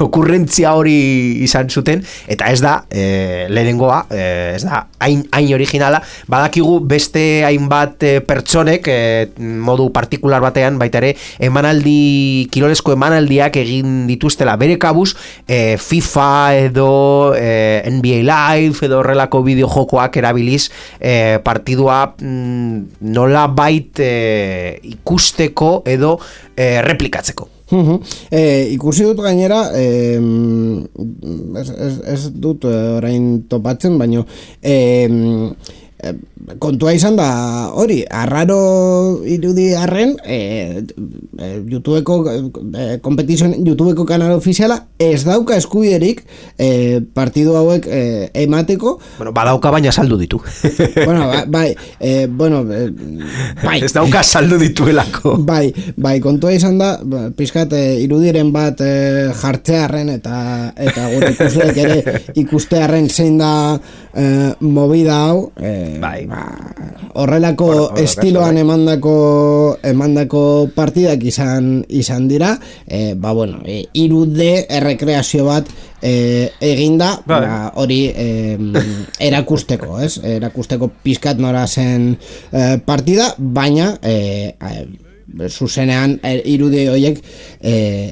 okurrentzia hori izan zuten, eta ez da lehenengoa, ez da hain originala. Badakigu beste hainbat pertsonek modu partikular batean baita ere kirolesko emanaldiak egin dituztela bere kabuz, FIFA edo NBA Live edo horrelako bideojokoak erabiliz partidua nola bait ikusteko edo replikatzeko. Ikusi dut gainera ez dut orain topatzen, baino kontua izan da hori, arraro irudi arren YouTubeko YouTubeko kanal ofiziala ez dauka eskubiderik partidu hauek emateko. Bueno, badauka baina saldu ditu. Bai. Ez dauka saldu dituelako. Bai, kontua izan da, pizkat irudiren bat jartzearren eta gure ikusleek ere ikustearren zein da movida hau, horrelako estiloan emandako partidak izan dira, irude errekreazio bat eginda, hori erakusteko, ez? Erakusteko pizkat nora zen partida, baina zuzenean irude horiek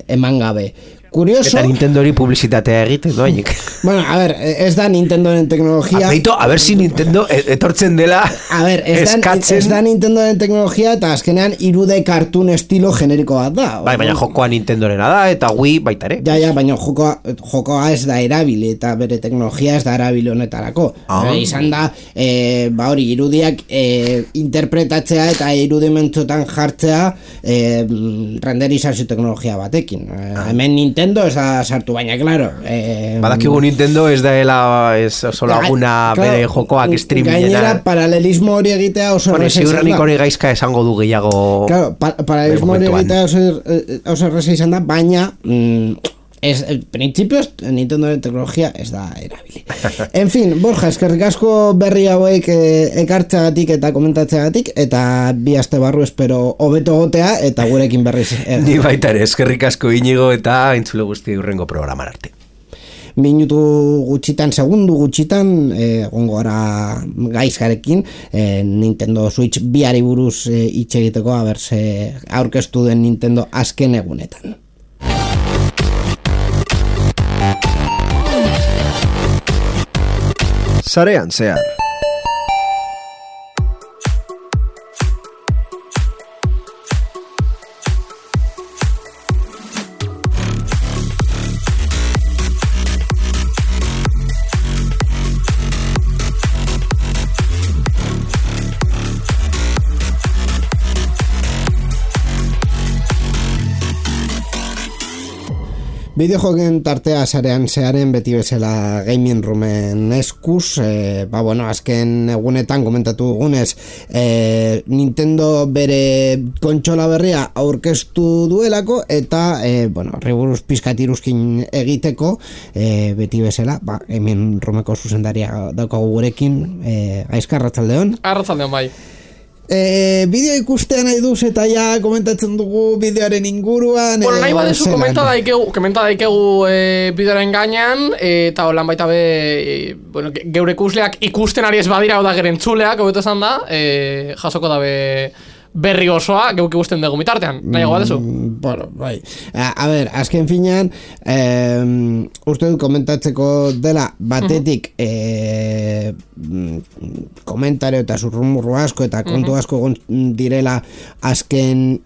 eman gabe. Curioso. Eta Nintendori publizitatea egiten doainik. Bueno, a ver, ez da Nintendoren teknologia. A ver si Nintendo etortzen dela. A ver, ez da Nintendoren teknologia eta azkenean irude cartoon estilo generiko bat da. Baina jokoa Nintendorena da eta Wii baita ere. Ja, baina jokoa ez da erabili eta bere teknologia ez da erabili honetarako. Izan da, hori, irudiak interpretatzea eta irudimentzotan jartzea renderizazio teknologia batekin. Hemen Nintendo ez da sartu, baina, claro. Badakigu Nintendo ez daela oso laguna bere jokoak streamingena. Gainera, paralelismo hori egitea oso erreza izan da. Ziurrenik hori gaizka esango du gehiago. Claro, paralelismo hori egitea oso erreza izan da, baina Printzipioz Nintendoren teknologia ez da erabili. En fin, Borja, eskerrik asko berri hauek ekartzeagatik eta komentatzeagatik, eta bi aste barru espero hobeto gotea eta gurekin berriz. Ni baita ere, eskerrik asko Inigo eta entzule guzti hurrengo programan arte. Minutu gutxitan, segundu gutxitan egongo gara gaizkarekin Nintendo Switch biari buruz hitz egiteko, aberse aurkeztu den Nintendo azken egunetan. Sarean zehar. Bideojoken tartea sarean zearen beti bezala Gaming Roomen eskuz, azken egunetan komentatu dugunez, Nintendo bere kontsola berria aurkeztu duelako eta, horri buruz pizkat iruzkin egiteko, beti bezala, Gaming Roomeko zuzendaria daukagu gurekin, Gaizka, arratsaldeon. Arratsaldeon bai. Bideo ikustea nahi duz eta ja komentatzen dugu bideoaren inguruan. Bueno, nahi badezu komenta daikegu bideoaren gainean, eta holan baita geure ikusleak ikusten ari ez badira oda gerentzuleak, hobeto esan da, jasoko dabe berri osoa geuk ikusten dugu mitartean. Nahiago badezu? Bai. A ber, azken finean, uste dut komentatzeko dela batetik komentario eta zurrumurru asko eta kontu asko direla azken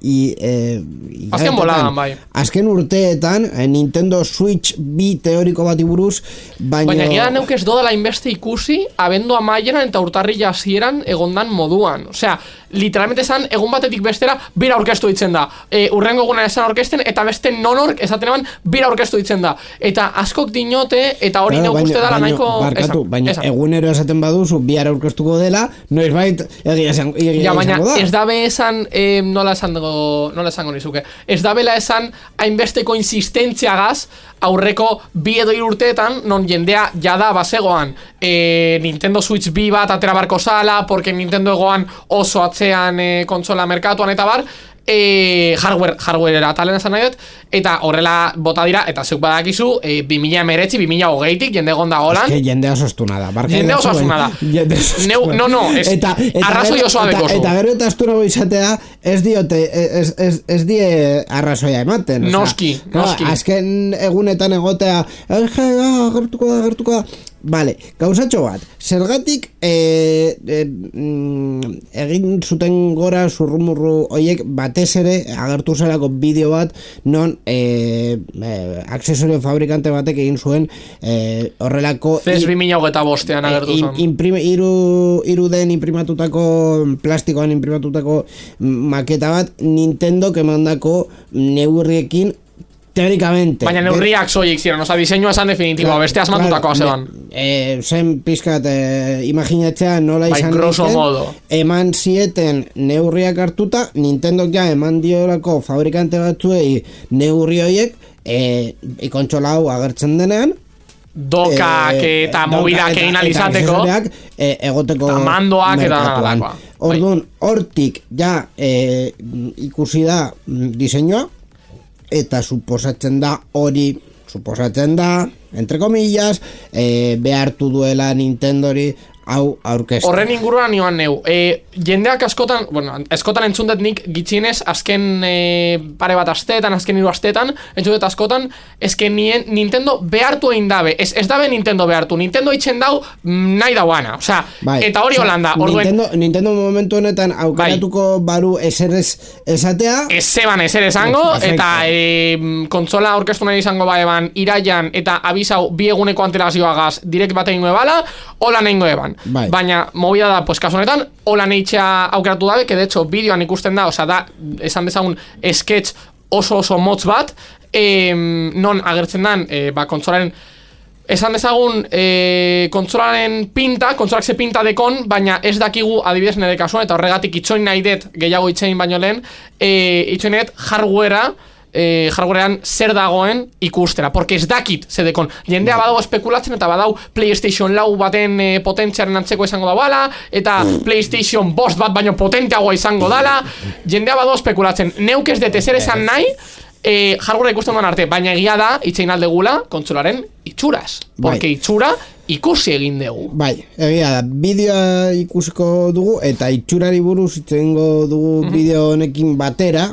boladan, bai. Azken urteetan Nintendo Switch bi teoriko bati buruz, baina gira neuk ez dodala inbeste ikusi abendu amaieran eta urtarri hasieran egondan moduan. Osea, literalmente esan egun batetik bestera bira aurkeztu ditzen da. Urrengo egunan esan aurkezten eta beste nonork esaten eban bira aurkeztu ditzen da. Eta askok dinote eta hori neuk uste dala nahiko baina egunero esaten baduzu bihar aurkeztuko dela, noizbait egia esango da. Baina ez dabe esan nola esango nizuke. Ez dabela esan hainbesteko insistentziagaz aurreko bi edo hiru urteetan non jendea jada bazegoan Nintendo Switch bi bat atera barko zala, porque Nintendo egoan oso atzean kontsola merkatuan eta bar, hardware atalen esan nahi dut, eta horrela bota dira, eta zeuk badakizu 2019-2020 jende egonda holan. Ez que jende osostuna da. Jende osostuna da. Arrazoi osoa bekozu. Eta gero eta astunago izatea ez die arrazoia ematen. Noski. Azken egunetan egotea agertuko da. Vale, gauzatxo bat, zergatik egin zuten gora zurrumurru hoiek batez ere agertu zelako bideo bat non aksesorio fabrikante batek egin zuen horrelako CES 2025 agertu zen iruden imprimatutako plastikoan imprimatutako maketa bat Nintendok emandako neurriekin teóricamente. Baina neurriak soilik ziren, oza, diseinua esan definitiboa, beste asmatutakoa zeban. Zen pizkat imaginatzea nola izan diken, eman zieten neurriak hartuta, Nintendok ja eman diolako fabrikante batzuei neurri horiek, ikontsola hau agertzen denean, dokak eta mobidak egin alizateko, egoteko eta mandoak eta nadakoa. Orduan, hortik ja ikusi da diseinua, eta suposatzen da, entre comillas, behartu duela Nintendori hau aurkeztu. Horren inguruan nioan neu. Jendeak askotan, askotan entzundet nik gitxienez, azken pare bat asteetan, azken 3 asteetan, entzundet askotan, ezken Nintendo behartu egin dabe. Ez dabe Nintendo behartu. Nintendo itxen dau nahi dauana. Osea, eta hori holanda. Nintendo momentu honetan aukeratuko baru eserrez esatea. Ez zeban eser esango, eta kontsola aurkeztu nahi izango baeban iraian, eta abizau bi eguneko antelazioagaz direkt bat egingo ebala, hola nengo eban. Baina movida da, pues kasu honetan hola neitxea aukeratu dabe, que de hecho bideoan ikusten da, osea da, esan dezagun sketch oso motz bat, non agertzen dan kontsolaren, esan dezagun kontsolaren pinta, kontsolak ze pinta dekon, baina ez dakigu adibidez nire kasuan, eta horregatik itxoin nahi dut gehiago itxein baino lehen, itxoin nahi dut hardwarea hardwarean zer dagoen ikustera, porque ez dakit zedekon. Jendea badau espekulatzen eta badau PlayStation 4 baten potentziaren antzeko izango da bala, eta PlayStation 5 bat baino potenteagoa izango dala, jendea badau espekulatzen. Neuk ez dut ezer esan nahi, hardware ikusten duan arte, baina egia da, itxein aldegula, kontsolaren itxuraz. Porque itxura ikusi egin dugu. Bai, egia da, bideoa ikusiko dugu eta itxurari buruz itzengo dugu bideo honekin batera,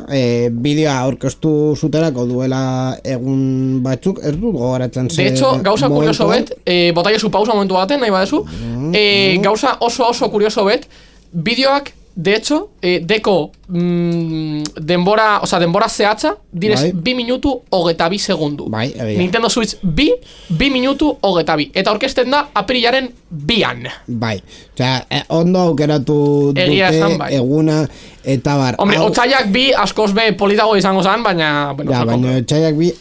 bideoa aurkeztu zuterako duela egun batzuk, ez du gogoratzen ze. De hecho, gauza kurioso bet, botaiezu pausa momentu baten, nahi badezu, gauza oso kurioso bet, bideoak, de hecho, deko denbora zehatza, direz 2 minutu 22 segundu. Nintendo Switch 2 minutu 22. Eta orkesten da aprilaren 2an. Bai, osea, ondo aukeratu dute eguna eta bar. Hombre, otsaiak 2 askoz be politago izango zan, baina... Ja, baina otsaiak 2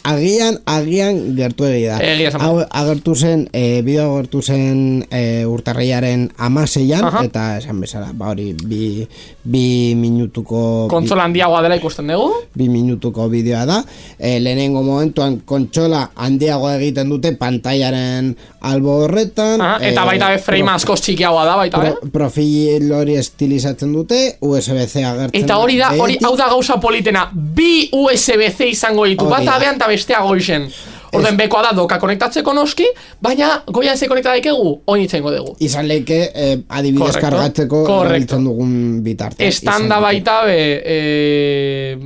agian gertu egia da. Agertu zen, bideo agertu zen urtarrilaren 16an, eta esan bezala, ba hori, 2 minutuko... Kontsola handiagoa dela ikusten dugu. 2 minutuko bideoa da. Lehenengo momentuan kontsola handiagoa egiten dute pantailaren albo horretan. Eta baita be frame askoz txikiagoa da, baita be. Profil hori estilizatzen dute, USB-C agertzen. Eta hori da, hau da gauza politena. 2 USB-C izango ditu, bata behan eta bestea goizen. Orden bekoa da doka konektatzeko noski, baina goian ze konekta daikegu, oin itzengo dugu. Izan leke, adibidez kargatzeko erabiltzen dugun bitarte. Estanda baita be,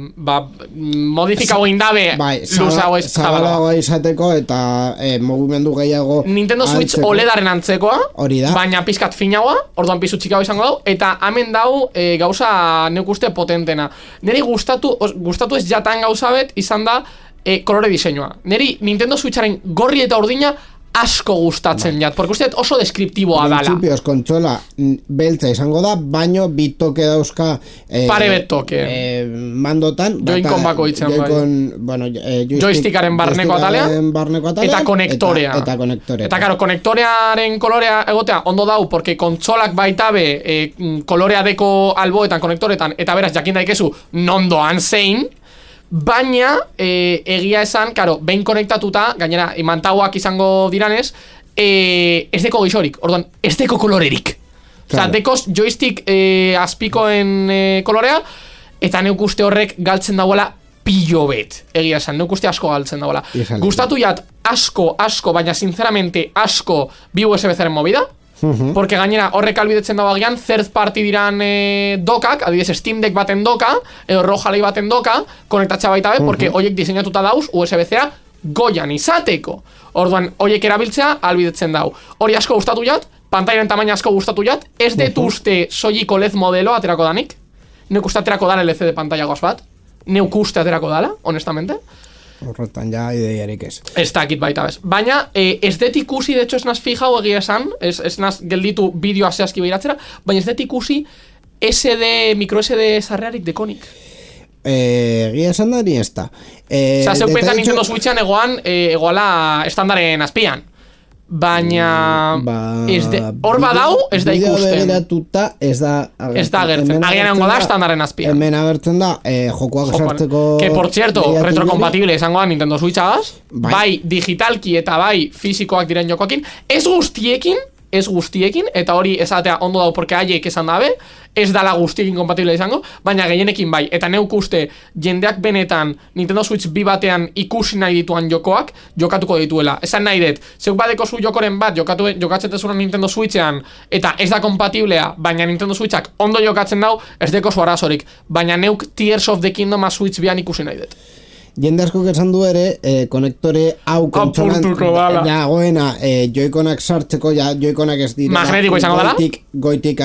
modifikago indabe, luzago ez zabalago izateko eta mugimendu gehiago Nintendo Switch OLEDaren antzekoa, baina pizkat finagoa, orduan pizu txikago izango dau, eta hemen dau gauza neuk uste potentena. Neri gustatu ez jatan gauza bet, izan da, kolore diseinua. Neri Nintendo Switcharen gorri eta urdina asko gustatzen jat, porque uste oso deskriptiboa dala. Principios kontsola beltza izango da, baino bitoke dauzka pare betoke mandotan Joy-Con bako itzen joystickaren barneko atalean eta konektorea. Eta karo, konektorearen kolorea egotea ondo dau, porque kontsolak baita be kolorea deko alboetan, konektoretan, eta beraz jakin daikezu nondoan zein. Baina, egia esan, karo, behin konektatuta, gainera, imantauak izango diranez, ez deko gizorik, orduan, ez deko kolorerik. Osa, dekoz joystick azpikoen kolorea, eta neuk uste horrek galtzen dagoela pillo bet. Egia esan, neuk uste asko galtzen dagoela. Gustatu jat asko, baina sinceramente asko bi USB-Zaren movida, porque gainera horrek albidetzen dago agian third party diran dokak, adibidez Steam Deck baten doka edo Rojalei baten doka konektatza baita be, porque hoiek diseinatuta dauz USB-Ca goian izateko. Orduan hoiek erabiltzea albidetzen dau. Hori asko gustatu jat, pantailen tamaina asko gustatu jat, ez dut uste soilik OLED modelo aterako danik. Neuk uste aterako dala LCD pantalla goz bat. Neuk uste aterako dala, honestamente. Horretan ja ideiarik ez. Ez dakit baita bez. Baina ez dut ikusi, de hecho ez naz fijau egia esan, ez naz gelditu bideoa zehazki behiratzera, baina ez dut ikusi micro SD sarrearik dekonik. Egia esan da ni ez da. Osa, zeu pensa Nintendo Switchean egoala estandaren azpian. Baina hor badau ez da ikusten. Ez da agertzen. Agian egongo da estandaren azpian. Hemen agertzen da jokoak sartzeko. Que por cierto, retrocompatible izango da Nintendo Switchagaz. Bai digitalki eta bai fisikoak diren jokoekin. Ez guztiekin, eta hori esatea ondo dau porque haiek esan dabe, ez dala guztiekin kompatible izango, baina gehienekin bai. Eta neuk uste jendeak benetan Nintendo Switch 2 batean ikusi nahi dituan jokoak jokatuko dituela. Esan nahi dut, zeuk badeko zu jokoren bat jokatzetezuran Nintendo Switchean eta ez da kompatiblea, baina Nintendo Switchak ondo jokatzen dau, ez deko zu arazorik. Baina neuk Tears of the Kingdom Switch 2an ikusi nahi dut. Jende asko esan du ere, konektore hau kontsolan dagoena Joy-Conak sartzeko, Joy-Conak ez dira magnetiko izango dela? Goitik,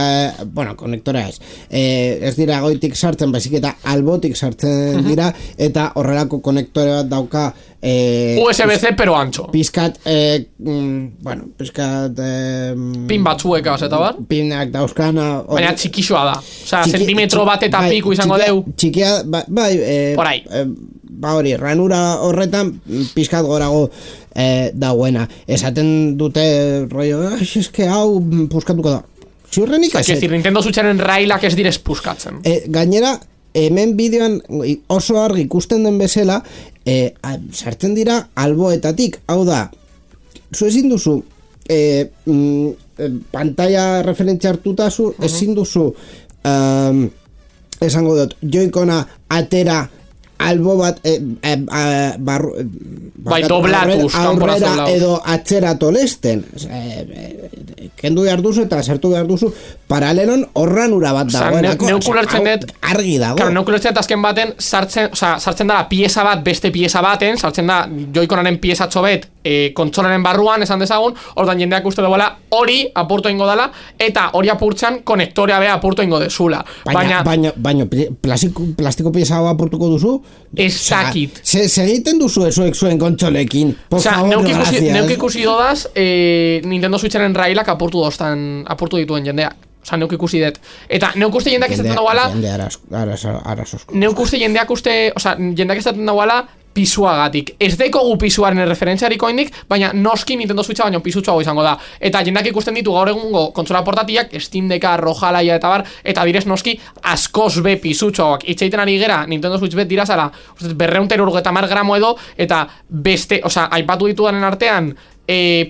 konektorea ez dira goitik sartzen, baizik eta albotik sartzen dira, eta horrelako konektore bat dauka USB-C pero ancho. Pizkat, pin batzueka, eta bar? Pinak dauzkana. Baina txikixoa da. Osea, zentimetro bat eta piku izango deu. Txikia, bai, por ahí. Ba hori, ranura horretan pizkat gorago dagoena. Esaten dute rollo, eske hau puskatuko da. Ziurrenik ez. Nintendo Switcharen railak ez direz puskatzen. Gainera, hemen bideoan oso argi ikusten den bezala, sartzen dira alboetatik, hau da, zu ezin duzu, pantalla referentzia hartutazu, ezin duzu, esango dut, joikona atera albo bat bai, doblatuz aurrera edo atzera tolesten kendu behar duzu eta sartu behar duzu paralelon horranura bat dagoenako argi dago claro, neukulertzen azken baten sartzen da pieza bat beste pieza baten sartzen da joikonaren piezatxo bet kontsolaren barruan esan dezagun ordan jendeak uste duela hori apurtu ingo dela eta hori apurtzen konektorea bea apurtu ingo dezula baina plastiko pieza apurtuko duzu ez dakit segiten duzu esuek zuen kontsolekin por favor, gracias neuk ikusi dodaz Nintendo Switcharen railak apurtu dituen jendeak neuk ikusi dut eta neuk uste jendeak izaten dagoela neuk uste jendeak izaten dagoela pisuagatik. Ez dekogu pisuaren referentziariko indik, baina noski Nintendo Switcha baino pisutsuago izango da. Eta jendeak ikusten ditu gaur egungo kontsola portatiak, Steam Decka, Rojalaia eta bar, eta direz noski askoz be pisutsuagoak. Itxaiten ari gera, Nintendo Switch bet dirazala, 250 gramo edo, eta beste, aipatu ditudanen artean,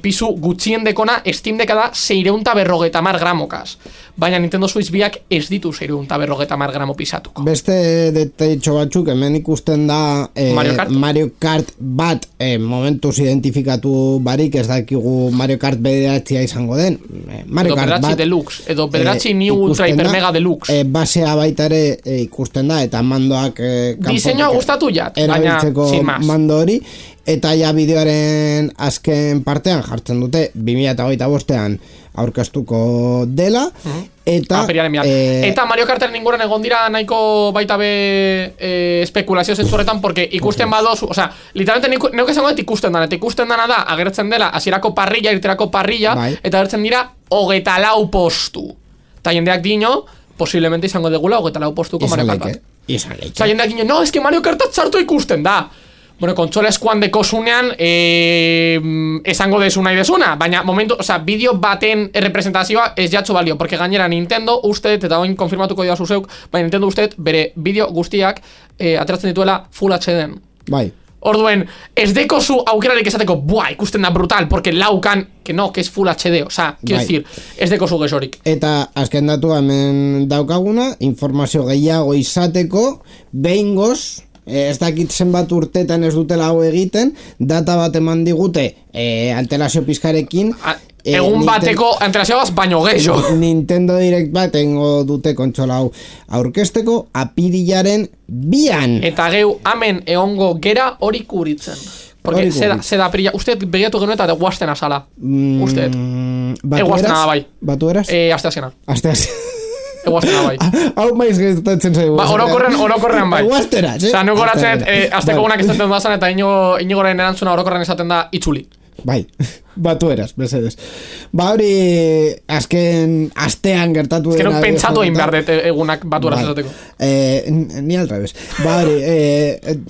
pisu gutxien dekona Steam Decka da 650 gramokaz. Baina Nintendo Switch biak ez ditu 650 gramo pisatuko. Beste detaitxo batzuk hemen ikusten da Mario Kart bat momentuz identifikatu barik ez dakigu Mario Kart bederatxia izango den Mario Kart bat Deluxe edo bederatxi New Ultra Hyper Mega Deluxe basea baita ere ikusten da eta mandoak diseinua gustatu jat erabiltzeko mando hori eta ja bideoaren azken partean jartzen dute 2025ean aurkeztuko dela eta eta Mario Karteren inguruan egon dira nahiko baita be espekulazio zentzuretan porque ikusten badoz, literalmente neuk esango dut ikusten dana da agertzen dela hasierako parrilla, irterako parrilla eta agertzen dira 24 postu eta jendeak dino posiblemente izango degula 24 postuko Mario Kart bat jendeak dino, no, es que Mario Kart sartu ikusten da bueno, kontsola eskuan dekosunean esango desu nahi desuna, baina momentu, bideo baten representazioa ez jatzu balio, porque gainera Nintendo uste, eta oin konfirmatuko dira zuzeuk, baina Nintendo uste, bere bideo guztiak ateratzen dituela Full HD-en. Bai. Orduen, ez dekozu aukerarik esateko, buah, ikusten da brutal, porque laukan, que no, que es Full HD, quiero decir, ez dekozu gesorik. Eta azken datu hemen daukaguna, informazio gehiago izateko, behingoz, ez dakit zenbat urtetan ez dutela hau egiten, data bat eman digute antelazio pizkarekin egun bateko antelazioaz baino gehiago Nintendo Direct bat engo dute kontsola hau aurkezteko apirilaren 2an eta geu hemen egongo gera hori kuritzen porque zeda aprila, uste begiratu genuen eta guazten azala uste eguazten da bai batu eraz? Asteazkena Eguaztena bai. Hau maiz geztatzen zaigu. Orokorrean bai. Eguaztera, sí? Nego goratzen, azteko gunak esaten dazan eta inigoren erantzuna orokorrean esaten da itzuli. Bai, batu eraz, Mercedes. Hori azken astean gertatu dena. Azken pentsatu egin behar dut egunak batu eraz esateko. Ni al revés. Hori,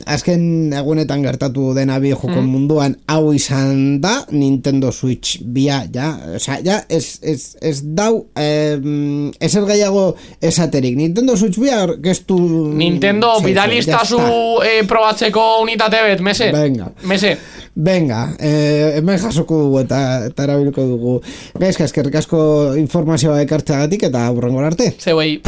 azken egunetan gertatu dena bideojokon munduan hau izan da, Nintendo Switch bia, ez dau, ezer gehiago esaterik. Nintendo Switch bia orkestu... Nintendo, bidalistazu probatzeko unitate bet, mese. Venga, hemen jasoko dugu eta erabilko dugu. Gaizka, eskerrik asko informazioa ekartzeagatik eta hurrengora arte. Zeuei.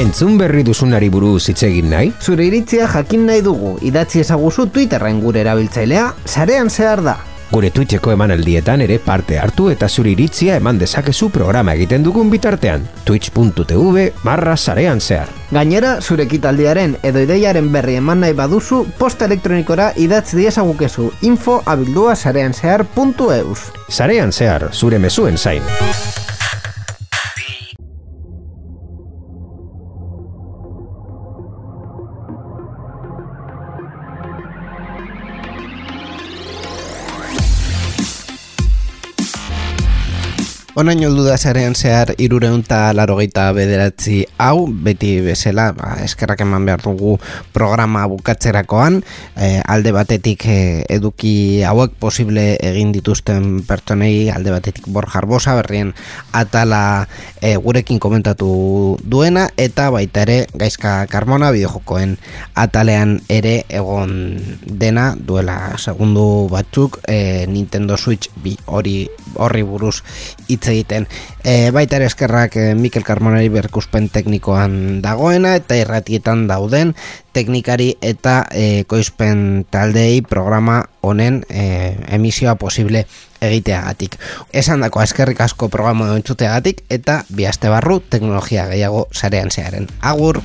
Entzun berri duzunari buruz hitz egin nahi? Zure iritzia jakin nahi dugu, idatzi ezaguzu Twitterren gure erabiltzailea, sarean zehar da. Gure Twitcheko emanaldietan ere parte hartu eta zure iritzia eman dezakezu programa egiten dugun bitartean. twitch.tv/sarean zehar. Gainera, zure ekitaldiaren edo ideiaren berri eman nahi baduzu, posta elektronikora idatzi diezagukezu info@sareanzehar.eus. Sarean zehar, zure mezuen zain. Onain oldu da zarean zehar 389 hau, beti bezala, eskerrak eman behar dugu programa bukatzerakoan, alde batetik eduki hauek posible egin dituzten pertsonei, alde batetik Borja Arbosa, berrien atala gurekin komentatu duena, eta baita ere Gaizka Carmona bideojokoen atalean ere egon dena duela segundu batzuk Nintendo Switch horri buruz hitz egiten. Baita ere eskerrak Mikel Carmonari berkuspen teknikoan dagoena eta irratietan dauden teknikari eta koizpen taldei programa honen emisioa posible egiteagatik. Esan dako eskerrik asko programa entzuteagatik eta bi aste barru teknologia gehiago sarean zearen. Agur!